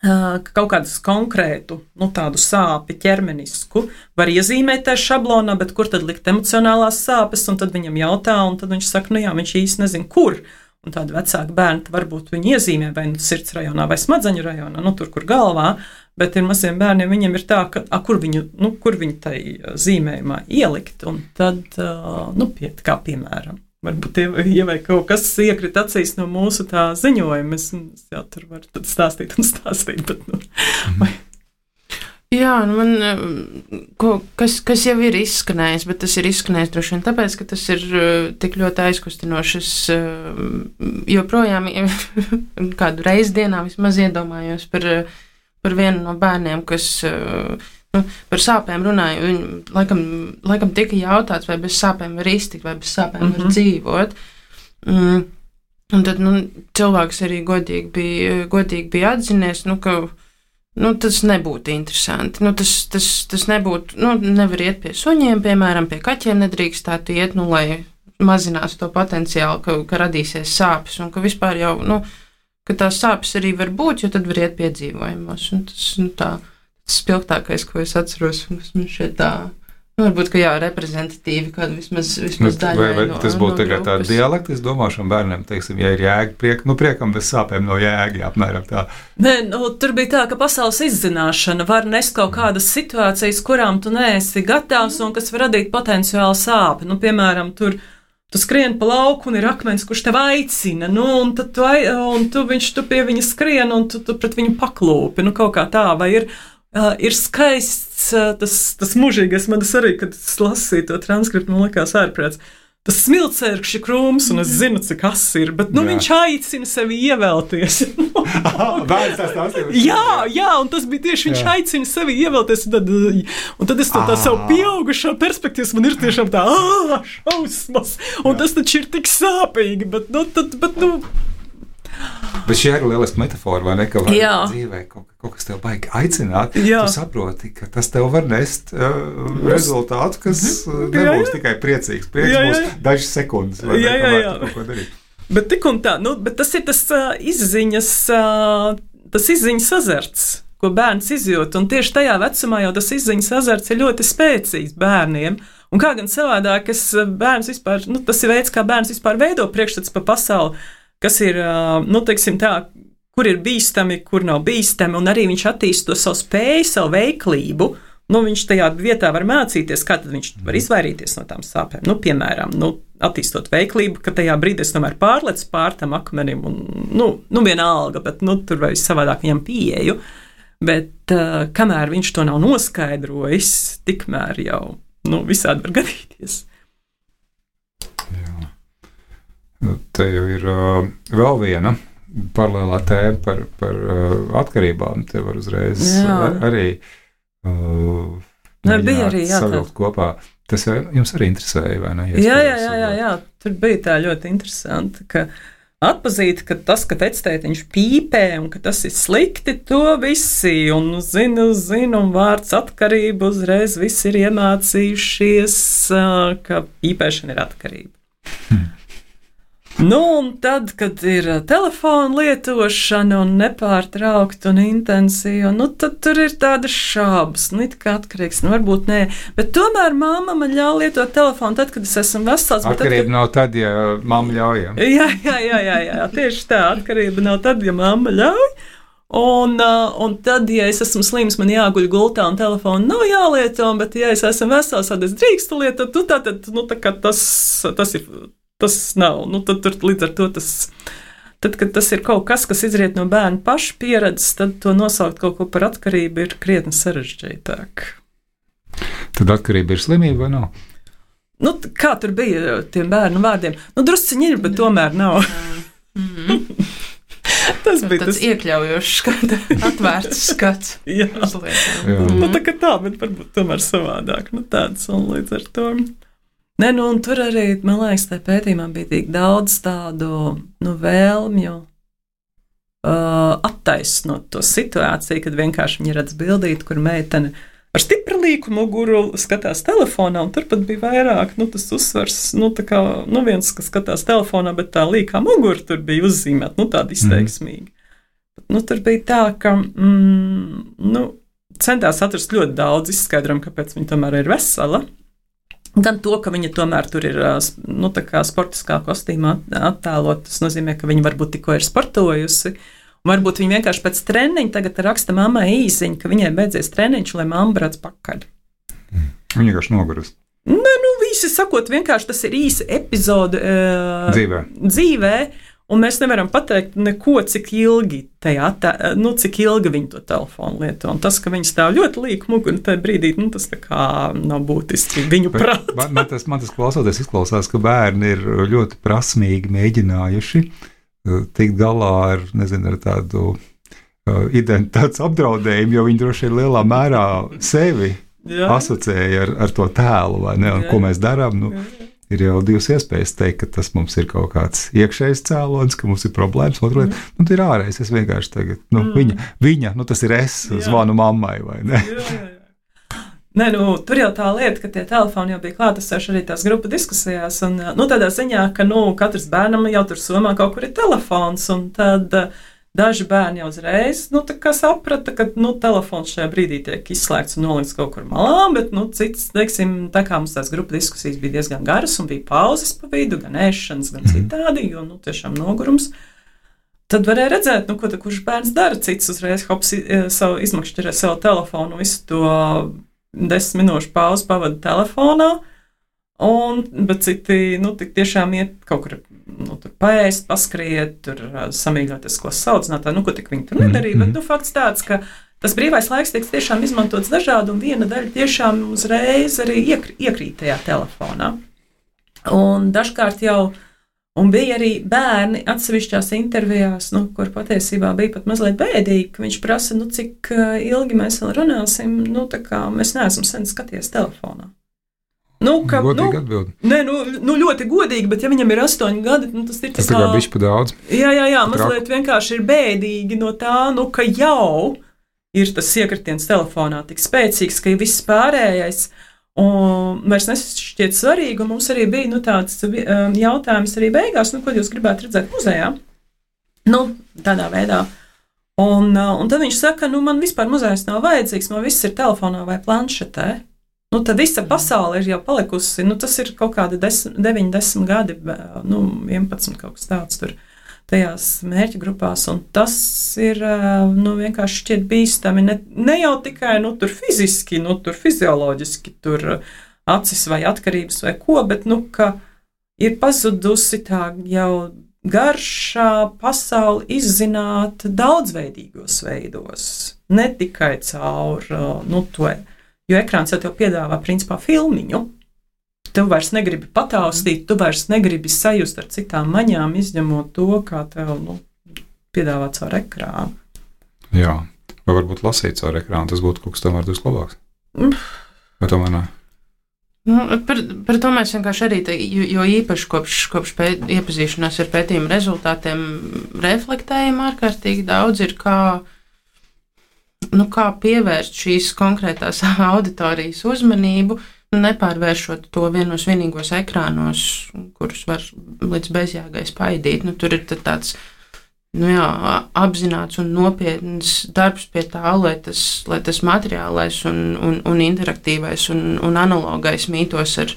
kaut kādas konkrētu, tādu sāpi ķermenisku var iezīmēt tajā šablonā, bet kur tad likt emocionālās sāpes, un tad viņam jautā, un tad viņš saka, viņš īsti nezin, kur. Un tādi vecāki bērni varbūt viņi iezīmē vai sirds rajonā vai smadzeņu rajonā, tur, kur galvā, bet ir maziem bērniem, viņiem ir tā, ka, kur viņu tai zīmējumā ielikt, un tad, kā piemēram. Varbūt vai kaut kas iekrit acīs no mūsu tā ziņojuma. Es jau tur varu stāstīt, bet Jā, man kas jau ir izskanējis, bet tas ir izskanējis droši vien tāpēc, ka tas ir tik ļoti aizkustinoši. Es joprojām kādu reizi dienā vismaz iedomājos par vienu no bērniem, kas par sāpēm runāja. Viņi laikam tika jautāts, vai bez sāpēm var iztikt, vai bez sāpēm var dzīvot. Un tad cilvēks arī godīgi bija atzinies, ka tas nebūtu interesanti. Tas nebūtu, nevar iet pie suņiem, piemēram, pie kaķiem nedrīkstētu iet, lai mazinātu to potenciālu, ka radīsies sāpes, un ka vispār jau, ka tās sāpes arī var būt, jo tad var iet piedzīvojumos. Un tas, tas spilgtākais, ko es atceros, un kas man šeit tā, varbūt, ka reprezentatīvi, kāda vismaz daļai vai tas būtu tagad tāda dialekta, es domāšu bērniem, teiksim, ja ir jēga, priekam bez sāpēm no jēga, apmēram tā. Nē, tur bija tā, ka pasaules izzināšana var nest kaut kādas situācijas, kurām tu neesi gatavs un kas var radīt potenciālu sāpi. Piemēram, tu skrien pa lauku un ir akmens, kurš tev aicina, un tad tu pie viņa skrien un tu pret viņu paklūpi, kaut kā tā, vai ir skaists tas mūžīgais, man tas arī, kad es lasīju to transkriptu, man likās ārprāts. Tas smilcērkšķi krūms, un es zinu, cik kas ir, bet viņš aicina sevi ievelties. Bērns tās stāstīja. Jā, un tas bija tieši viņš aicina sevi ievelties, un tad es tā savu pieaugušā perspektīvas, man ir tiešām tā, šausmas, un tas taču ir tik sāpīgi, bet Bet šī ir lieliska metafora, vai ne, ka dzīvē kaut kas tev baigi aicināt, tu saproti, ka tas tev var nest rezultātu, kas nebūs tikai priecīgs. Prieks būs dažas sekundes, vai ne, kamēr tu kaut ko darīt. Bet tik un tā, bet tas ir tas izziņas azarts, ko bērns izjūt, un tieši tajā vecumā jau tas izziņas azarts ir ļoti spēcīgs bērniem. Un kā gan savādāk, bērns vispār, tas ir veids, kā bērns vispār veido priekšstats par pasauli, kas ir, teiksim tā, kur ir bīstami, kur nav bīstami, un arī viņš attīst to savu spēju, savu veiklību. Viņš tajā vietā var mācīties, kā tad viņš var izvairīties no tām sāpēm. Piemēram, attīstot veiklību, ka tajā brīdī es tomēr pārlecu pār tam akmenim, un vienalga, bet tur vai savādāk viņam pieeju. Bet kamēr viņš to nav noskaidrojis, tikmēr jau visādi var gadīties. Te jau ir vēl viena paralēlā tēma par atkarībām. Te var uzreiz arī savilkt kopā. Tas jums arī interesēja, vai ne? Jā. Tur bija tā ļoti interesanti, ka atpazīt, ka tas, ka vectētiņš pīpē un ka tas ir slikti, to visi, un zinu, un vārds atkarība uzreiz visi ir iemācījušies, ka pīpēšana ir atkarība. Nu, un tad, kad ir telefona lietošana un nepārtraukta un intensīva, nu, tad tur ir tādas šābas, nu, it kā atkarīgs, nu, varbūt nē, bet tomēr mamma man ļauj lietot telefonu tad, kad es esmu vesels. Atkarība nav tad, ja mamma ļauj. Jā, tieši tā, atkarība nav tad, ja mamma ļauj. Un tad, ja es esmu slims, man jāguļ gultā un telefonu nav jālieto, bet ja es esmu vesels, tad es drīkstu lietot, nu, tā kā tas nav. Nu, tad līdz ar to tad, kad tas ir kaut kas izriet no bērna paša pieredzes, tad to nosaukt kaut ko par atkarību ir krietni sarežģītāk. Tad atkarība ir slimība vai nav? Nu, kā tur bija tiem bērnu vārdiem? Nu, drusciņi ir, bet tomēr nav. Tas bija tas iekļaujošs skats, atvērts skats. Jā. Nu, tā, bet varbūt tomēr savādāk. Nu, tāds un līdz ar to. Nē, nu, un tur arī, man liekas, tajā pētījumā bija tik daudz tādu, nu, vēlmju attaisnot to situāciju, kad vienkārši viņi redz bildīti, kur meitene ar stipri līku muguru skatās telefonā, un turpat bija vairāk, nu, tas uzsvars, nu, tā kā, nu, viens, kas skatās telefonā, bet tā līkā mugura tur bija uzzīmēta, nu, tāda izteiksmīga. Nu, tur bija tā, ka, nu, centās atrast ļoti daudz izskaidrojumu, kāpēc viņa tomēr ir vesela. Gan to, ka viņa tomēr tur ir, nu, tā kā sportiskā kostīmā attēlot, tas nozīmē, ka viņa varbūt tikko ir sportojusi, un varbūt viņa vienkārši pēc treniņa tagad raksta mammai īziņu, ka viņai beidzies treniņš, lai mamma brauc pakaļ. Viņa vienkārši nogurusi. Nē, nu, visi sakot, vienkārši tas ir īsa epizode dzīvē, un mēs nevaram pateikt neko, cik ilgi cik ilgi viņi to telefonu lieto. Un tas, ka viņi stāv ļoti līku muguru tajā brīdī, nu, tas tā kā nav būtiski viņu prātā. Man tas klausoties izklausās, ka bērni ir ļoti prasmīgi mēģinājuši tikt galā ar, nezinu, ar tādu identitātes apdraudējumu, jo viņi droši vien lielā mērā sevi asociēja ar to tēlu, vai ne, un ko mēs darām, nu, ir jau divas iespējas teikt, ka tas mums ir kaut kāds iekšējs cēlonis, ka mums ir problēmas, otra lieta, nu, tā ir ārējais, es vienkārši tagad, nu, viņa, nu, tas ir es, zvanu mammai, vai ne? Nē, nu, tur jau tā lieta, ka tie telefoni jau bija klātesoši arī tās grupu diskusijās, un, nu, tādā ziņā, ka, nu, katrs bērnam jau tur somā kaut kur ir telefons, un tad daži bērni jau uzreiz, nu, tā kā saprata, ka, nu, telefons šajā brīdī tiek izslēgts un nolikts kaut kur malā, bet, nu, cits, teiksim, tā kā mums tās grupu diskusijas bija diezgan garas un bija pauzes pa vidu, gan ēšanas, gan citādi, jo, nu, tiešām nogurums, tad varēja redzēt, nu, ko tā kurš bērns dara, cits uzreiz izmakšķerē savu telefonu, visu to 10 minūšu pauzi pavada telefonā, bet citi, nu, tik tiešām iet kaut kur, nu, tur paēst, paskriet, tur samīļoties, ko saucināt, nu, ko tik viņi tur nedarīja, bet, nu, fakts tāds, ka tas brīvais laiks tiek tiešām izmantots dažādi, un viena daļa tiešām uzreiz arī iekrīt tajā telefonā. Un dažkārt jau, un bija arī bērni atsevišķās intervijās, nu, kur patiesībā bija pat mazliet bēdīgi, ka viņš prasa, nu, cik ilgi mēs vēl runāsim, nu, tā kā mēs neesam sen skaties telefonā. Nu, godīgi atbild. Nē, nu, ļoti godīgi, bet ja viņam ir 8 gadi, nu, tas ir tas tā kā bišķi pa daudz. Jā, mazliet vienkārši ir bēdīgi no tā, nu, ka jau ir tas iekritiens telefonā tik spēcīgs, ka viss pārējais un vairs nešķiet svarīgi, un mums arī bija, nu, tāds jautājums arī beigās, nu, ko jūs gribētu redzēt muzejā? Nu, tādā veidā. Un tad viņš saka, nu, man vispār muzejs nav vajadzīgs, man viss ir telefonā vai planšetē. Nu, tad visa pasaule ir jau palikusi, nu, tas ir kaut kādi 9-10 gadi, nu, 11 kaut kas tāds tur tajās mērķa grupās, un tas ir, nu, vienkārši šķiet bīstami, ne jau tikai, nu, tur fiziski, nu, tur fizioloģiski, tur acis vai atkarības vai ko, bet, nu, ka ir pazudusi tā jau garšā pasauli izzināt daudzveidīgos veidos, ne tikai caur, nu, to. Jo ekrāns jau tev piedāvā, principā, filmiņu. Tu vairs negribi pataustīt, tu vairs negribi sajust ar citām maņām, izņemot to, kā tev, nu, piedāvā caur ekrānu. Jā, vai varbūt lasīt caur ekrānu, tas būtu kaut kas tomēr drusku labāks. Vai tomēr ne? Nu, par to mēs vienkārši arī, jo īpaši kopš iepazīšanās ar pētījumu rezultātiem reflektējam ārkārtīgi daudz ir, kā pievērst šīs konkrētās auditorijas uzmanību, nepārvēršot to vienos vienīgos ekrānos, kurus var līdz bezjēgai spaidīt. Tur ir tāds apzināts un nopietns darbs pie tā, lai tas materiālais un interaktīvais un analogais mītos ar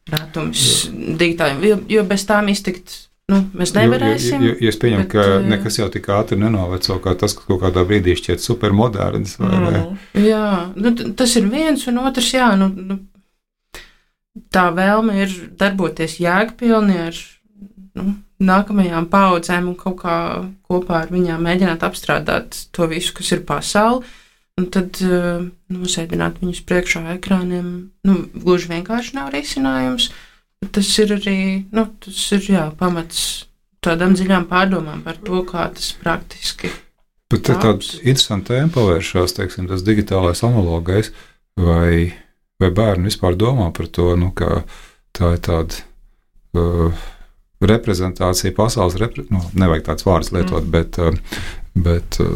rātums digitāliem, jo bez tām iztikt mēs nevarēsim. Jo es pieņemu, ka nekas jau tik ātri nenoveco, kā tas, kas kaut kādā brīdī šķiet supermoderns. Jā, tas ir viens, un otrs, tā vēlme ir darboties jēgpilni ar nākamajām paudzēm un kaut kā kopā ar viņām mēģināt apstrādāt to visu, kas ir pasauli, un tad nosēdināt viņus priekšā ekrāniem, gluži vienkārši nav risinājums. Tas ir arī, pamats tādām dziļām pārdomām par to, kā tas praktiski. Bet te tāda interesanta tēma pavēršās, teiksim, tas digitālais analogais, vai bērni vispār domā par to, ka tā ir tāda reprezentācija, pasaules nevajag tāds vārds lietot, bet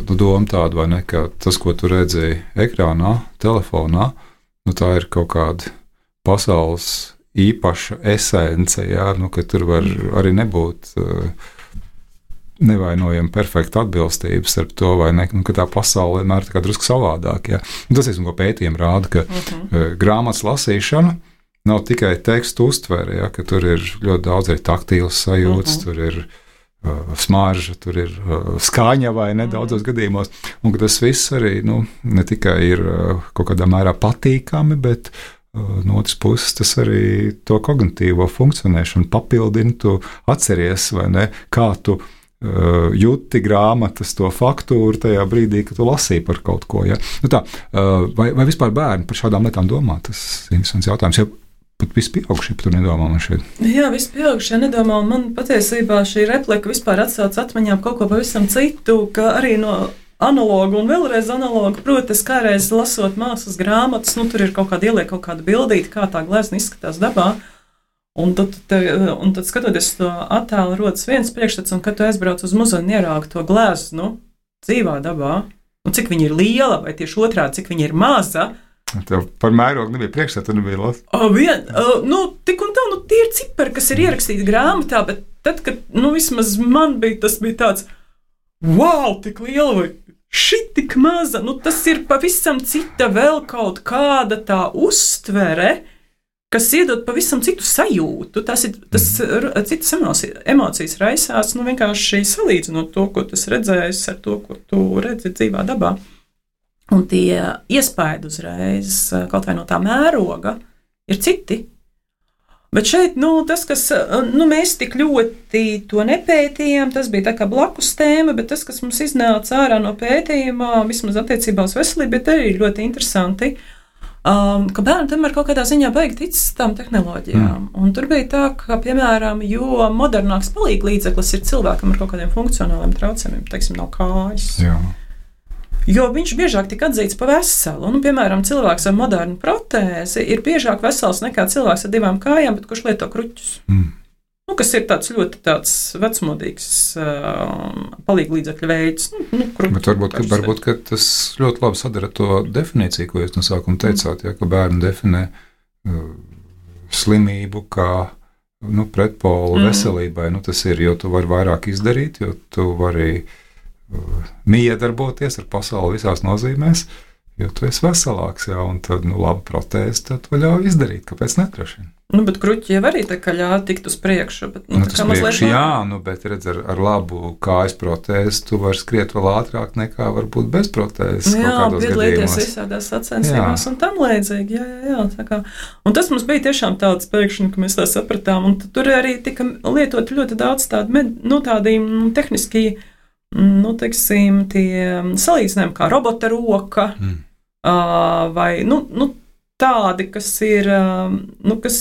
doma tāda, vai ne, ka tas, ko tu redzēji ekrānā, telefonā, tā ir kaut kāda pasaules īpaša esence, ka tur var arī nebūt nevainojama perfekta atbilstība starp to, vai ne, ka tā pasaule vienmēr ir drusku savādāk. Tas ir, ko pētījumi rāda, ka grāmatas lasīšana nav tikai tekstu uztvere, ka tur ir ļoti daudz arī taktīlas sajūtas, tur ir smarža, tur ir skaņa vai ne daudzos gadījumos, un ka tas viss arī ne tikai ir kaut kādā mērā patīkami, bet no otras puses, tas arī to kognitīvo funkcionēšanu papildina, tu atceries, vai ne, kā tu jūti grāmatas to faktūru tajā brīdī, kad tu lasīji par kaut ko. Vai vispār bērni par šādām lietām domā? Tas ir interesants jautājums, jo pat visi pieaugušie par to nedomā man šeit. Jā, visi pieaugušie nedomā, un man patiesībā šī replika vispār atsauc atmiņām kaut ko pavisam citu, ka arī no analogu un vēlreiz analogu, proti, kādreiz lasot mākslas grāmatas, tur ir kaut kāda bildīte, kā tā glezna izskatās dabā, un tad skatoties to attēlu, rodas viens priekšstats, un kad tu aizbrauc uz muzeju un ieraugi to gleznu dzīvā dabā, cik viņa ir liela, vai tieši otrādi, cik viņa ir maza. Tev par mērogu nebija priekšstats, nebija lasa? Tik un tā, tie ir cipari, kas ir ierakstīti grāmatā, bet tad, kad, vismaz man tas bija tāds, wow, tik liela vai šī tik maza, tas ir pavisam cita vēl kaut kāda tā uztvere, kas iedod pavisam citu sajūtu. Tas citas emocijas raisās, vienkārši salīdzinot to, ko tu redzējis ar to, ko tu redzi dzīvā dabā. Un tie iespaidi uzreiz, kaut vai no tā mēroga, ir citi. Bet šeit, tas, kas, mēs tik ļoti to nepētījām, tas bija tā kā blakus tēma, bet tas, kas mums iznāca ārā no pētījumā, vismaz attiecībā uz veselību, bet arī ļoti interesanti, ka bērni tomēr kaut kādā ziņā baigi tic tām tehnoloģijām. Un tur bija tā, ka, piemēram, jo modernāks palīglīdzeklis ir cilvēkam ar kaut kādiem funkcionāliem traucējumiem, teiksim, nav kājas. Jā. Jo viņš biežāk tika atzīts par veselu. Piemēram, cilvēks ar modernu protēzi ir biežāk vesels nekā cilvēks ar 2 kājām, bet kurš lieto kruķus. Kas ir tāds ļoti vecmodīgs palīglīdzekļu veids. Bet varbūt ka tas ļoti labi sadara to definīciju, ko jūs no sākuma teicāt, ka bērni definē slimību kā pretpolu veselībai. Tas ir, jo tu vari vairāk izdarīt, jo tu vari miedarboties ar pasauli visās nozīmēs, jo tu esi veselāks, un tad, laba protēze, tad to ļauj izdarīt, kāpēc netrašina. Bet kruķi jau arī tā kā ļauj tikt uz priekšu, bet, bet redz, ar labu kājas protēzi tu vari skriet vēl ātrāk nekā varbūt bez protēzes. Jā, piedalīties visādās sacensībās un tam līdzīgi, jā, tā kā. Un tas mums bija tiešām tāds pēkšņi, ka mēs tā sapratām, un tur arī tika lietot ļoti daudz tādi tehniski, teiksim, tie salīdzinājumi kā robota roka, vai, tādi, kas ir, kas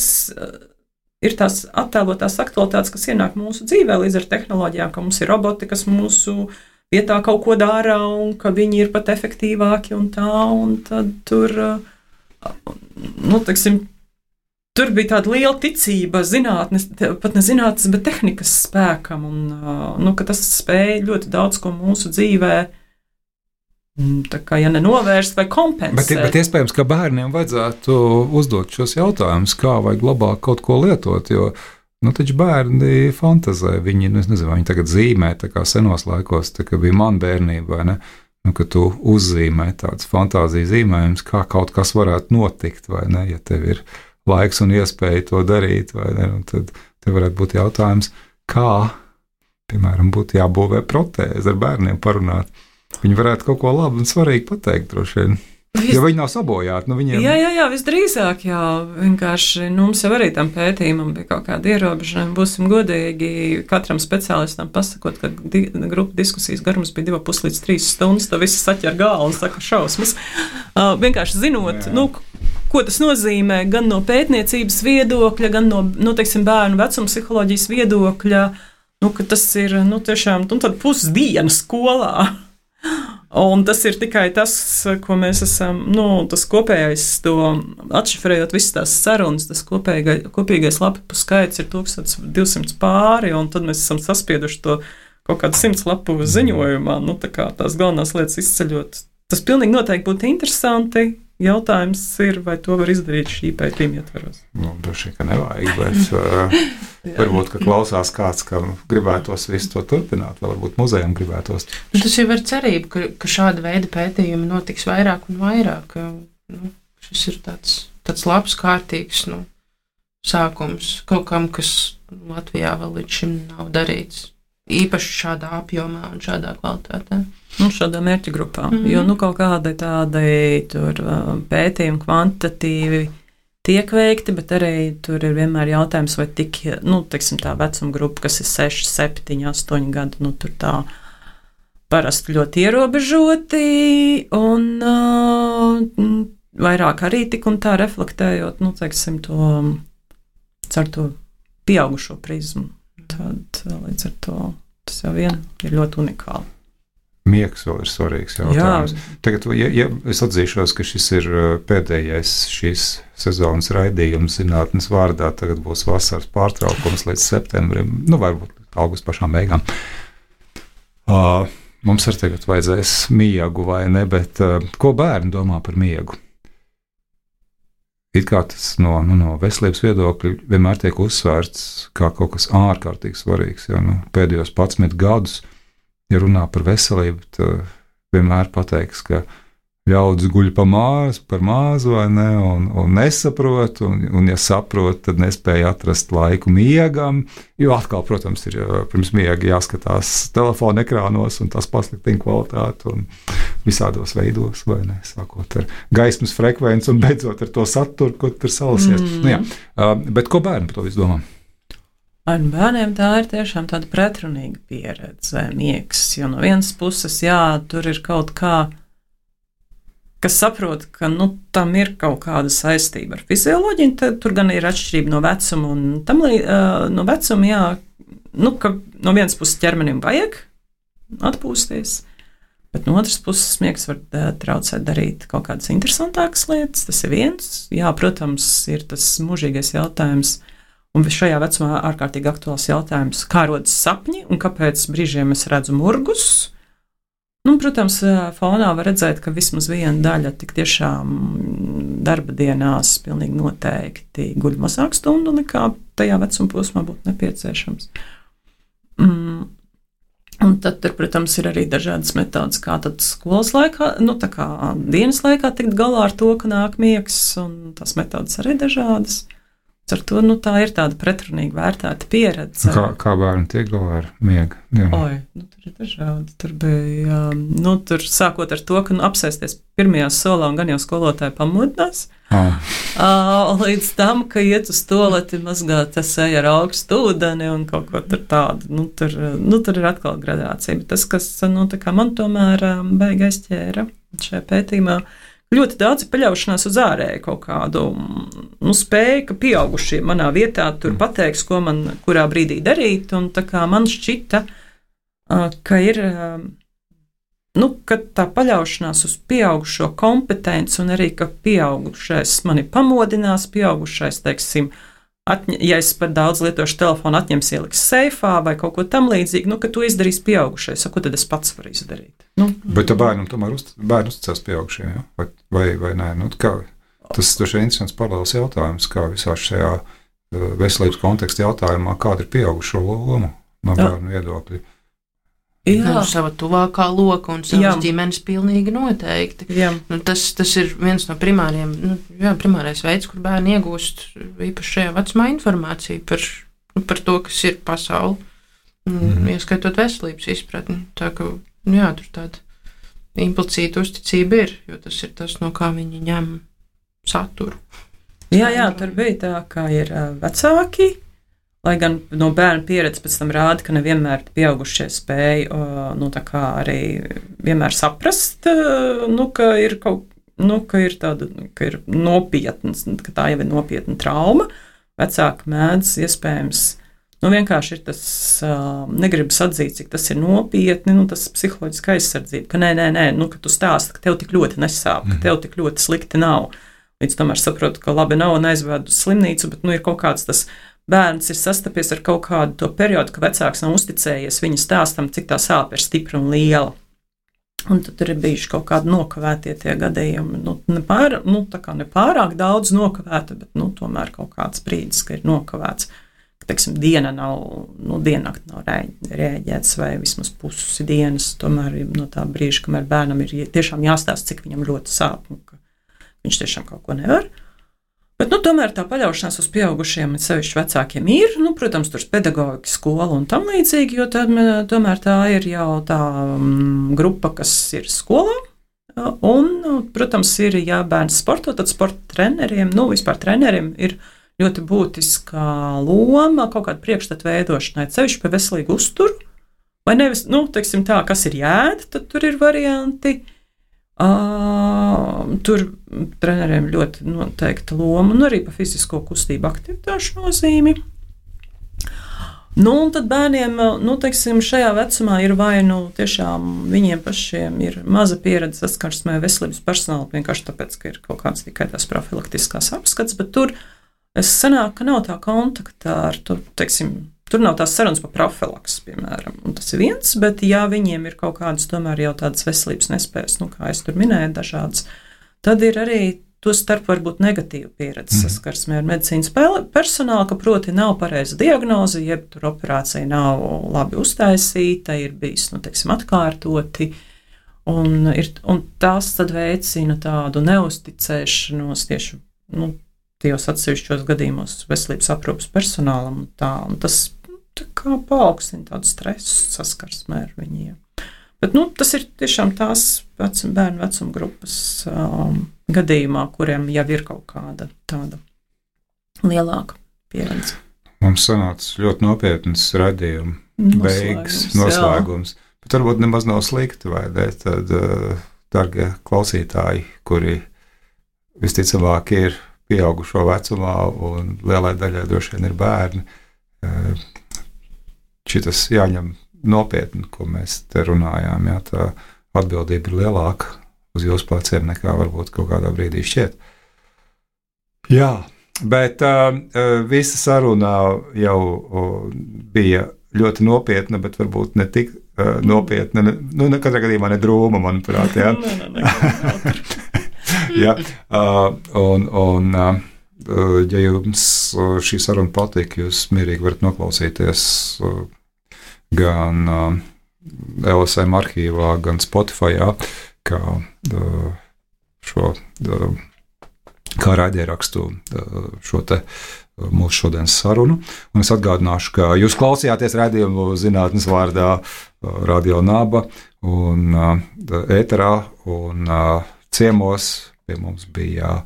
ir tās attēlotās aktualitātes, kas ienāk mūsu dzīvē līdz ar tehnoloģijām, ka mums ir roboti, kas mūsu vietā kaut ko dara, un ka viņi ir pat efektīvāki un tā, un tad tur, teiksim, tur bija tāda liela ticība zinātnes, pat ne zinātnes, bet tehnikas spēkam, un ka tas spēja ļoti daudz ko mūsu dzīvē tā kā, ja nenovērst vai kompensēt. Bet iespējams, ka bērniem vajadzētu uzdot šos jautājumus, kā vajag labāk kaut ko lietot, jo taču bērni fantazē, viņi, es nezinu, vai viņi tagad zīmē, tā kā senos laikos, tā kā bija man bērnība, vai ne, ka tu uzzīmē tāds fantāzija zīmējums, kā kaut kas varētu notikt, vai ne, ja tev ir laiks un iespēja to darīt, vai ne, un tad tev varētu būt jautājums, kā, piemēram, būtu jābūvē protēze ar bērniem parunāt. Viņi varētu kaut ko labu un svarīgu pateikt, droši vien. Jo viņi nav sabojāti. Viņiem... Jā, visdrīzāk, jā. Vienkārši mums jau arī tam pētījumam bija kaut kāda ierobežojuma. Būsim godīgi, katram speciālistam pasakot, ka grupu diskusijas garums bija 2,5 līdz 3 stundas, to visi saķer galvu un saka šausmas. Vienkārši zinot, ko tas nozīmē gan no pētniecības viedokļa, gan no teiksim, bērnu vecuma psiholoģijas viedokļa, ka tas ir, tiešām, tad pusdiena skolā. Un tas ir tikai tas, ko mēs esam, tas kopējais, to atšifrējot visas tās sarunas, tas kopīgais lapu skaits ir 1200 pāri, un tad mēs esam saspieduši to kaut kādu 100 lapu ziņojumā, tā kā tās galvenās lietas izceļot. Tas pilnīgi noteikti būtu interesanti. Jautājums ir, vai to var izdarīt šī pētījuma ietvaros. Droši vien, ka nevajag, bet varbūt, ka klausās kāds, kam gribētos visu to turpināt, vai varbūt muzejam gribētos. Tas jau ir cerība, ka šāda veida pētījumi notiks vairāk un vairāk. Šis ir tāds labs, kārtīgs sākums kaut kam, kas Latvijā vēl līdz šim nav darīts. Īpaši šādā apjomā un šādā kvalitātē. Šādā mērķa grupā, jo kaut kādi tādi tur pētījumi kvantitatīvi tiek veikti, bet arī tur ir vienmēr jautājums, vai tik, teiksim tā vecuma grupa, kas ir 6, 7, 8 gadi, tur tā parasti ļoti ierobežoti un vairāk arī tik un tā reflektējot, teiksim to, caur to pieaugušo prizmu. Tad līdz ar to tas jau vien ir ļoti unikāli. Miegs vēl ir svarīgs jautājums. Tagad, ja es atzīšos, ka šis ir pēdējais šīs sezonas raidījums zinātnes vārdā, tagad būs vasaras pārtraukums līdz septembrim, varbūt augusta pašām beigām. Mums arī tagad vajadzēs miegu vai ne, bet ko bērni domā par miegu? It kā tas no veselības viedokļa vienmēr tiek uzsvērts kā kaut kas ārkārtīgi svarīgs. Ja, pēdējos 11 gadus, ja runā par veselību, tad vienmēr pateiks, ka ļaudis guļ par māzu vai ne, un nesaprot, un ja saprot, tad nespēja atrast laiku miegam, jo atkal, protams, ir pirms miega jāskatās telefona ekrānos, un tas pasliktina kvalitāti, un visādos veidos, vai ne, sākot ar gaismas frekvenci, un beidzot ar to saturu, ko tur salasies. Bet ko bērni par to visu domā? Ar bērniem tā ir tiešām tāda pretrunīga pieredze, miegs, jo no vienas puses, tur ir kaut kā, kas saprot, ka tam ir kaut kāda saistība ar fizioloģiju, tad tur gan ir atšķirība no vecuma un no vecuma, ka no vienas puses ķermenim vajag atpūsties, bet no otras puses miegs var traucēt darīt kaut kādas interesantākas lietas, tas ir viens. Jā, protams, ir tas mūžīgais jautājums, un šajā vecumā ārkārtīgi aktuāls jautājums, kā rodas sapņi un kāpēc brīžiem es redzu murgus. Protams, fonā var redzēt, ka vismaz viena daļa tik tiešām darba dienās pilnīgi noteikti guļ mazāk stundu nekā tajā vecuma posmā būtu nepieciešams. Un tad, protams, ir arī dažādas metodas, kā tad skolas laikā, tā kā dienas laikā tikt galā ar to, ka nāk miegs, un tās metodas arī dažādas. Ar to tā ir tāda pretrunīga vērtēta pieredze. Kā bērni tiek galā ar miegu? Tur ir dažādi. Tur bija, tur sākot ar to, ka apsēsties pirmajā solā un gan jau skolotāji pamodinās. Līdz tam, ka iet uz toleti, mazgāt seju ar augstu ūdeni un kaut ko tur tādu. Tur ir atkal gradācija. Bet tas, kas man tomēr baigi aizķēra šajā pētījumā, ļoti daudz paļaušanās uz ārēju kaut kādu spēju, ka pieaugušie manā vietā tur pateiks, ko man kurā brīdī darīt, un tā kā man šķita, ka ir, ka tā paļaušanās uz pieaugušo kompetenci un arī, ka pieaugušais mani pamodinās, pieaugušais, teiksim, ja es par daudz lietošu telefonu, atņems ieliks seifā vai kaut ko tam līdzīgi, ka to izdarīs pieaugušais, ko tad es pats varu izdarīt? Bet tā bērnam tomēr uzticās pieaugušiem, ja? vai nē? Tas ir interesants paralēls jautājums, kā visā šajā veselības konteksta jautājumā, kāda ir pieaugušo loma no bērnu viedokļa. Sava tuvākā loka un savas ģimenes pilnīgi noteikti. Tas ir viens no primārais veids, kur bērni iegūst īpaši šajā vecumā informāciju par to, kas ir pasauli, ieskaitot veselības izpratni. Tā ka, tur tāda implicīta uzticība ir, jo tas ir tas, no kā viņi ņem saturu. Jā, tur bija tā, kā ir vecāki, lai gan no bērna pieredze pēc tam rāda, ka nevienmēr pieaugušie spēja, tā kā arī vienmēr saprast, ka ir ka ir nopietnas, ka tā jau ir nopietna trauma. Vecāki mēdz iespējams, vienkārši ir tas, negribas atzīt, cik tas ir nopietni, tas psiholoģiska aizsardzība, ka nē, ka tu stāsti, ka tev tik ļoti nesāp, ka tev tik ļoti slikti nav. Līdz tomēr saprotu, ka labi nav un aizvedu uz slimnīcu, bet ir kaut kāds tas bērns ir sastapies ar kaut kādu to periodu, ka vecāks nav uzticējies viņa stāstam, cik tā sāpe ir stipra un liela. Un tad ir bijuši kaut kādi nokavētie tie gadījumi. Nepārāk daudz nokavēta, bet tomēr kaut kāds brīdis, ka ir nokavēts. Teiksim, diennakt nav rēģēts vai vismaz pusi dienas. Tomēr no tā brīža, kamēr bērnam ir tiešām jāstāsta, cik viņam ļoti sāp un ka viņš tiešām kaut ko nevar. Bet, tomēr tā paļaušanās uz pieaugušiem, sevišķi vecākiem ir, protams, tur pedagoģika, skola un tam līdzīgi, jo tomēr tā ir jau tā grupa, kas ir skolā. Un, protams, ir, ja bērns sporto, tad sporta treneriem, vispār treneriem ir ļoti būtiska loma kaut kāda priekšstata veidošanai, sevišķi par veselīgu uzturu, vai nevis, teiksim tā, kas ir jēda, tad tur ir varianti. Tur treneriem ļoti noteikta loma un arī par fizisko kustību aktivitāšu nozīmi. Un tad bērniem, teiksim, šajā vecumā ir vai tiešām viņiem pašiem ir maza pieredze saskarsmē veselības personāla, vienkārši tāpēc, ka ir kaut kāds tikai tās profilaktiskās apskats, bet tur sanāk, ka nav tā kontakta ar, tur nav tās sarunas par profilaks, piemēram, un tas ir viens, bet ja viņiem ir kaut kādas tomēr jau tādas veselības nespējas, kā es tur minēju dažādas, tad ir arī to starp varbūt negatīva pieredze saskarsmē ar medicīnas personālu, ka proti nav pareiza diagnoze, jeb tur operācija nav labi uztaisīta, ir bijis, atkārtoti, un tas tad veicina tādu neusticēšanos tieši, tajos atsevišķos gadījumos veselības aprūpes personālam, un tas tā kā paaugstina tādu stresu saskarsmē ar viņiem. Bet, tas ir tiešām tās bērnu vecuma grupas gadījumā, kuriem jau ir kaut kāda tāda lielāka pieredze. Mums sanāca ļoti nopietnas radījuma beigas, noslēgums. Bet varbūt nemaz nav slikti, vai ne? Tad, dargie klausītāji, kuri visticamāk ir pieaugušo vecumā un lielai daļai droši vien ir bērni, šitas jāņem nopietni, ko mēs te runājām. Jā, tā atbildība ir lielāka uz jūsu pleciem nekā varbūt kaut kādā brīdī šķiet. Jā, bet visa sarunā jau bija ļoti nopietna, bet varbūt ne tik nopietna, katrā gadījumā ne drūma, manuprāt. Jā. Jā, ja jums šī saruna patīk, jūs mierīgi varat noklausīties gan LSM arhīvā, gan Spotifyā, kā raidierakstu šo te mūsu šodienas sarunu. Un es atgādināšu, ka jūs klausījāties raidījumu Zinātnes vārdā Radio Naba un ēterā un ciemos. Pie mums bija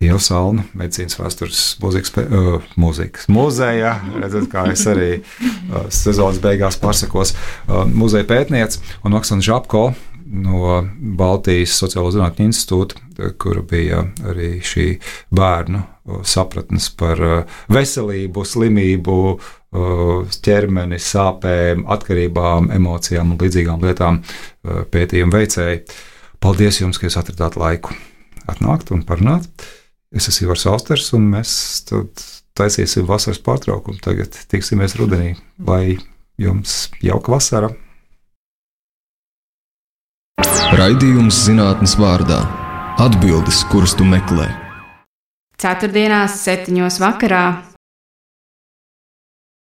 Ieva Salna, medicīnas vēstures mūzikas muzeja, redzat, kā es arī sezonas beigās pasakos, muzeja pētniece, un Oksana Žapko no Baltijas Sociālo zinātņu institūta, kura bija arī šī bērnu sapratnes par veselību, slimību, ķermeni, sāpēm, atkarībām, emocijām un līdzīgām lietām pētījumu veicēji. Paldies jums, ka jūs atradāt laiku atnākt un parunāt. Es esmu Ivars Austers, un mēs tad taisīsim vasaras pārtraukumu. Tagad tiksimies rudenī, lai jums jauka vasara. Raidījums zinātnes vārdā - atbildes, kuras tu meklē. Ceturtdienās, 7. vakarā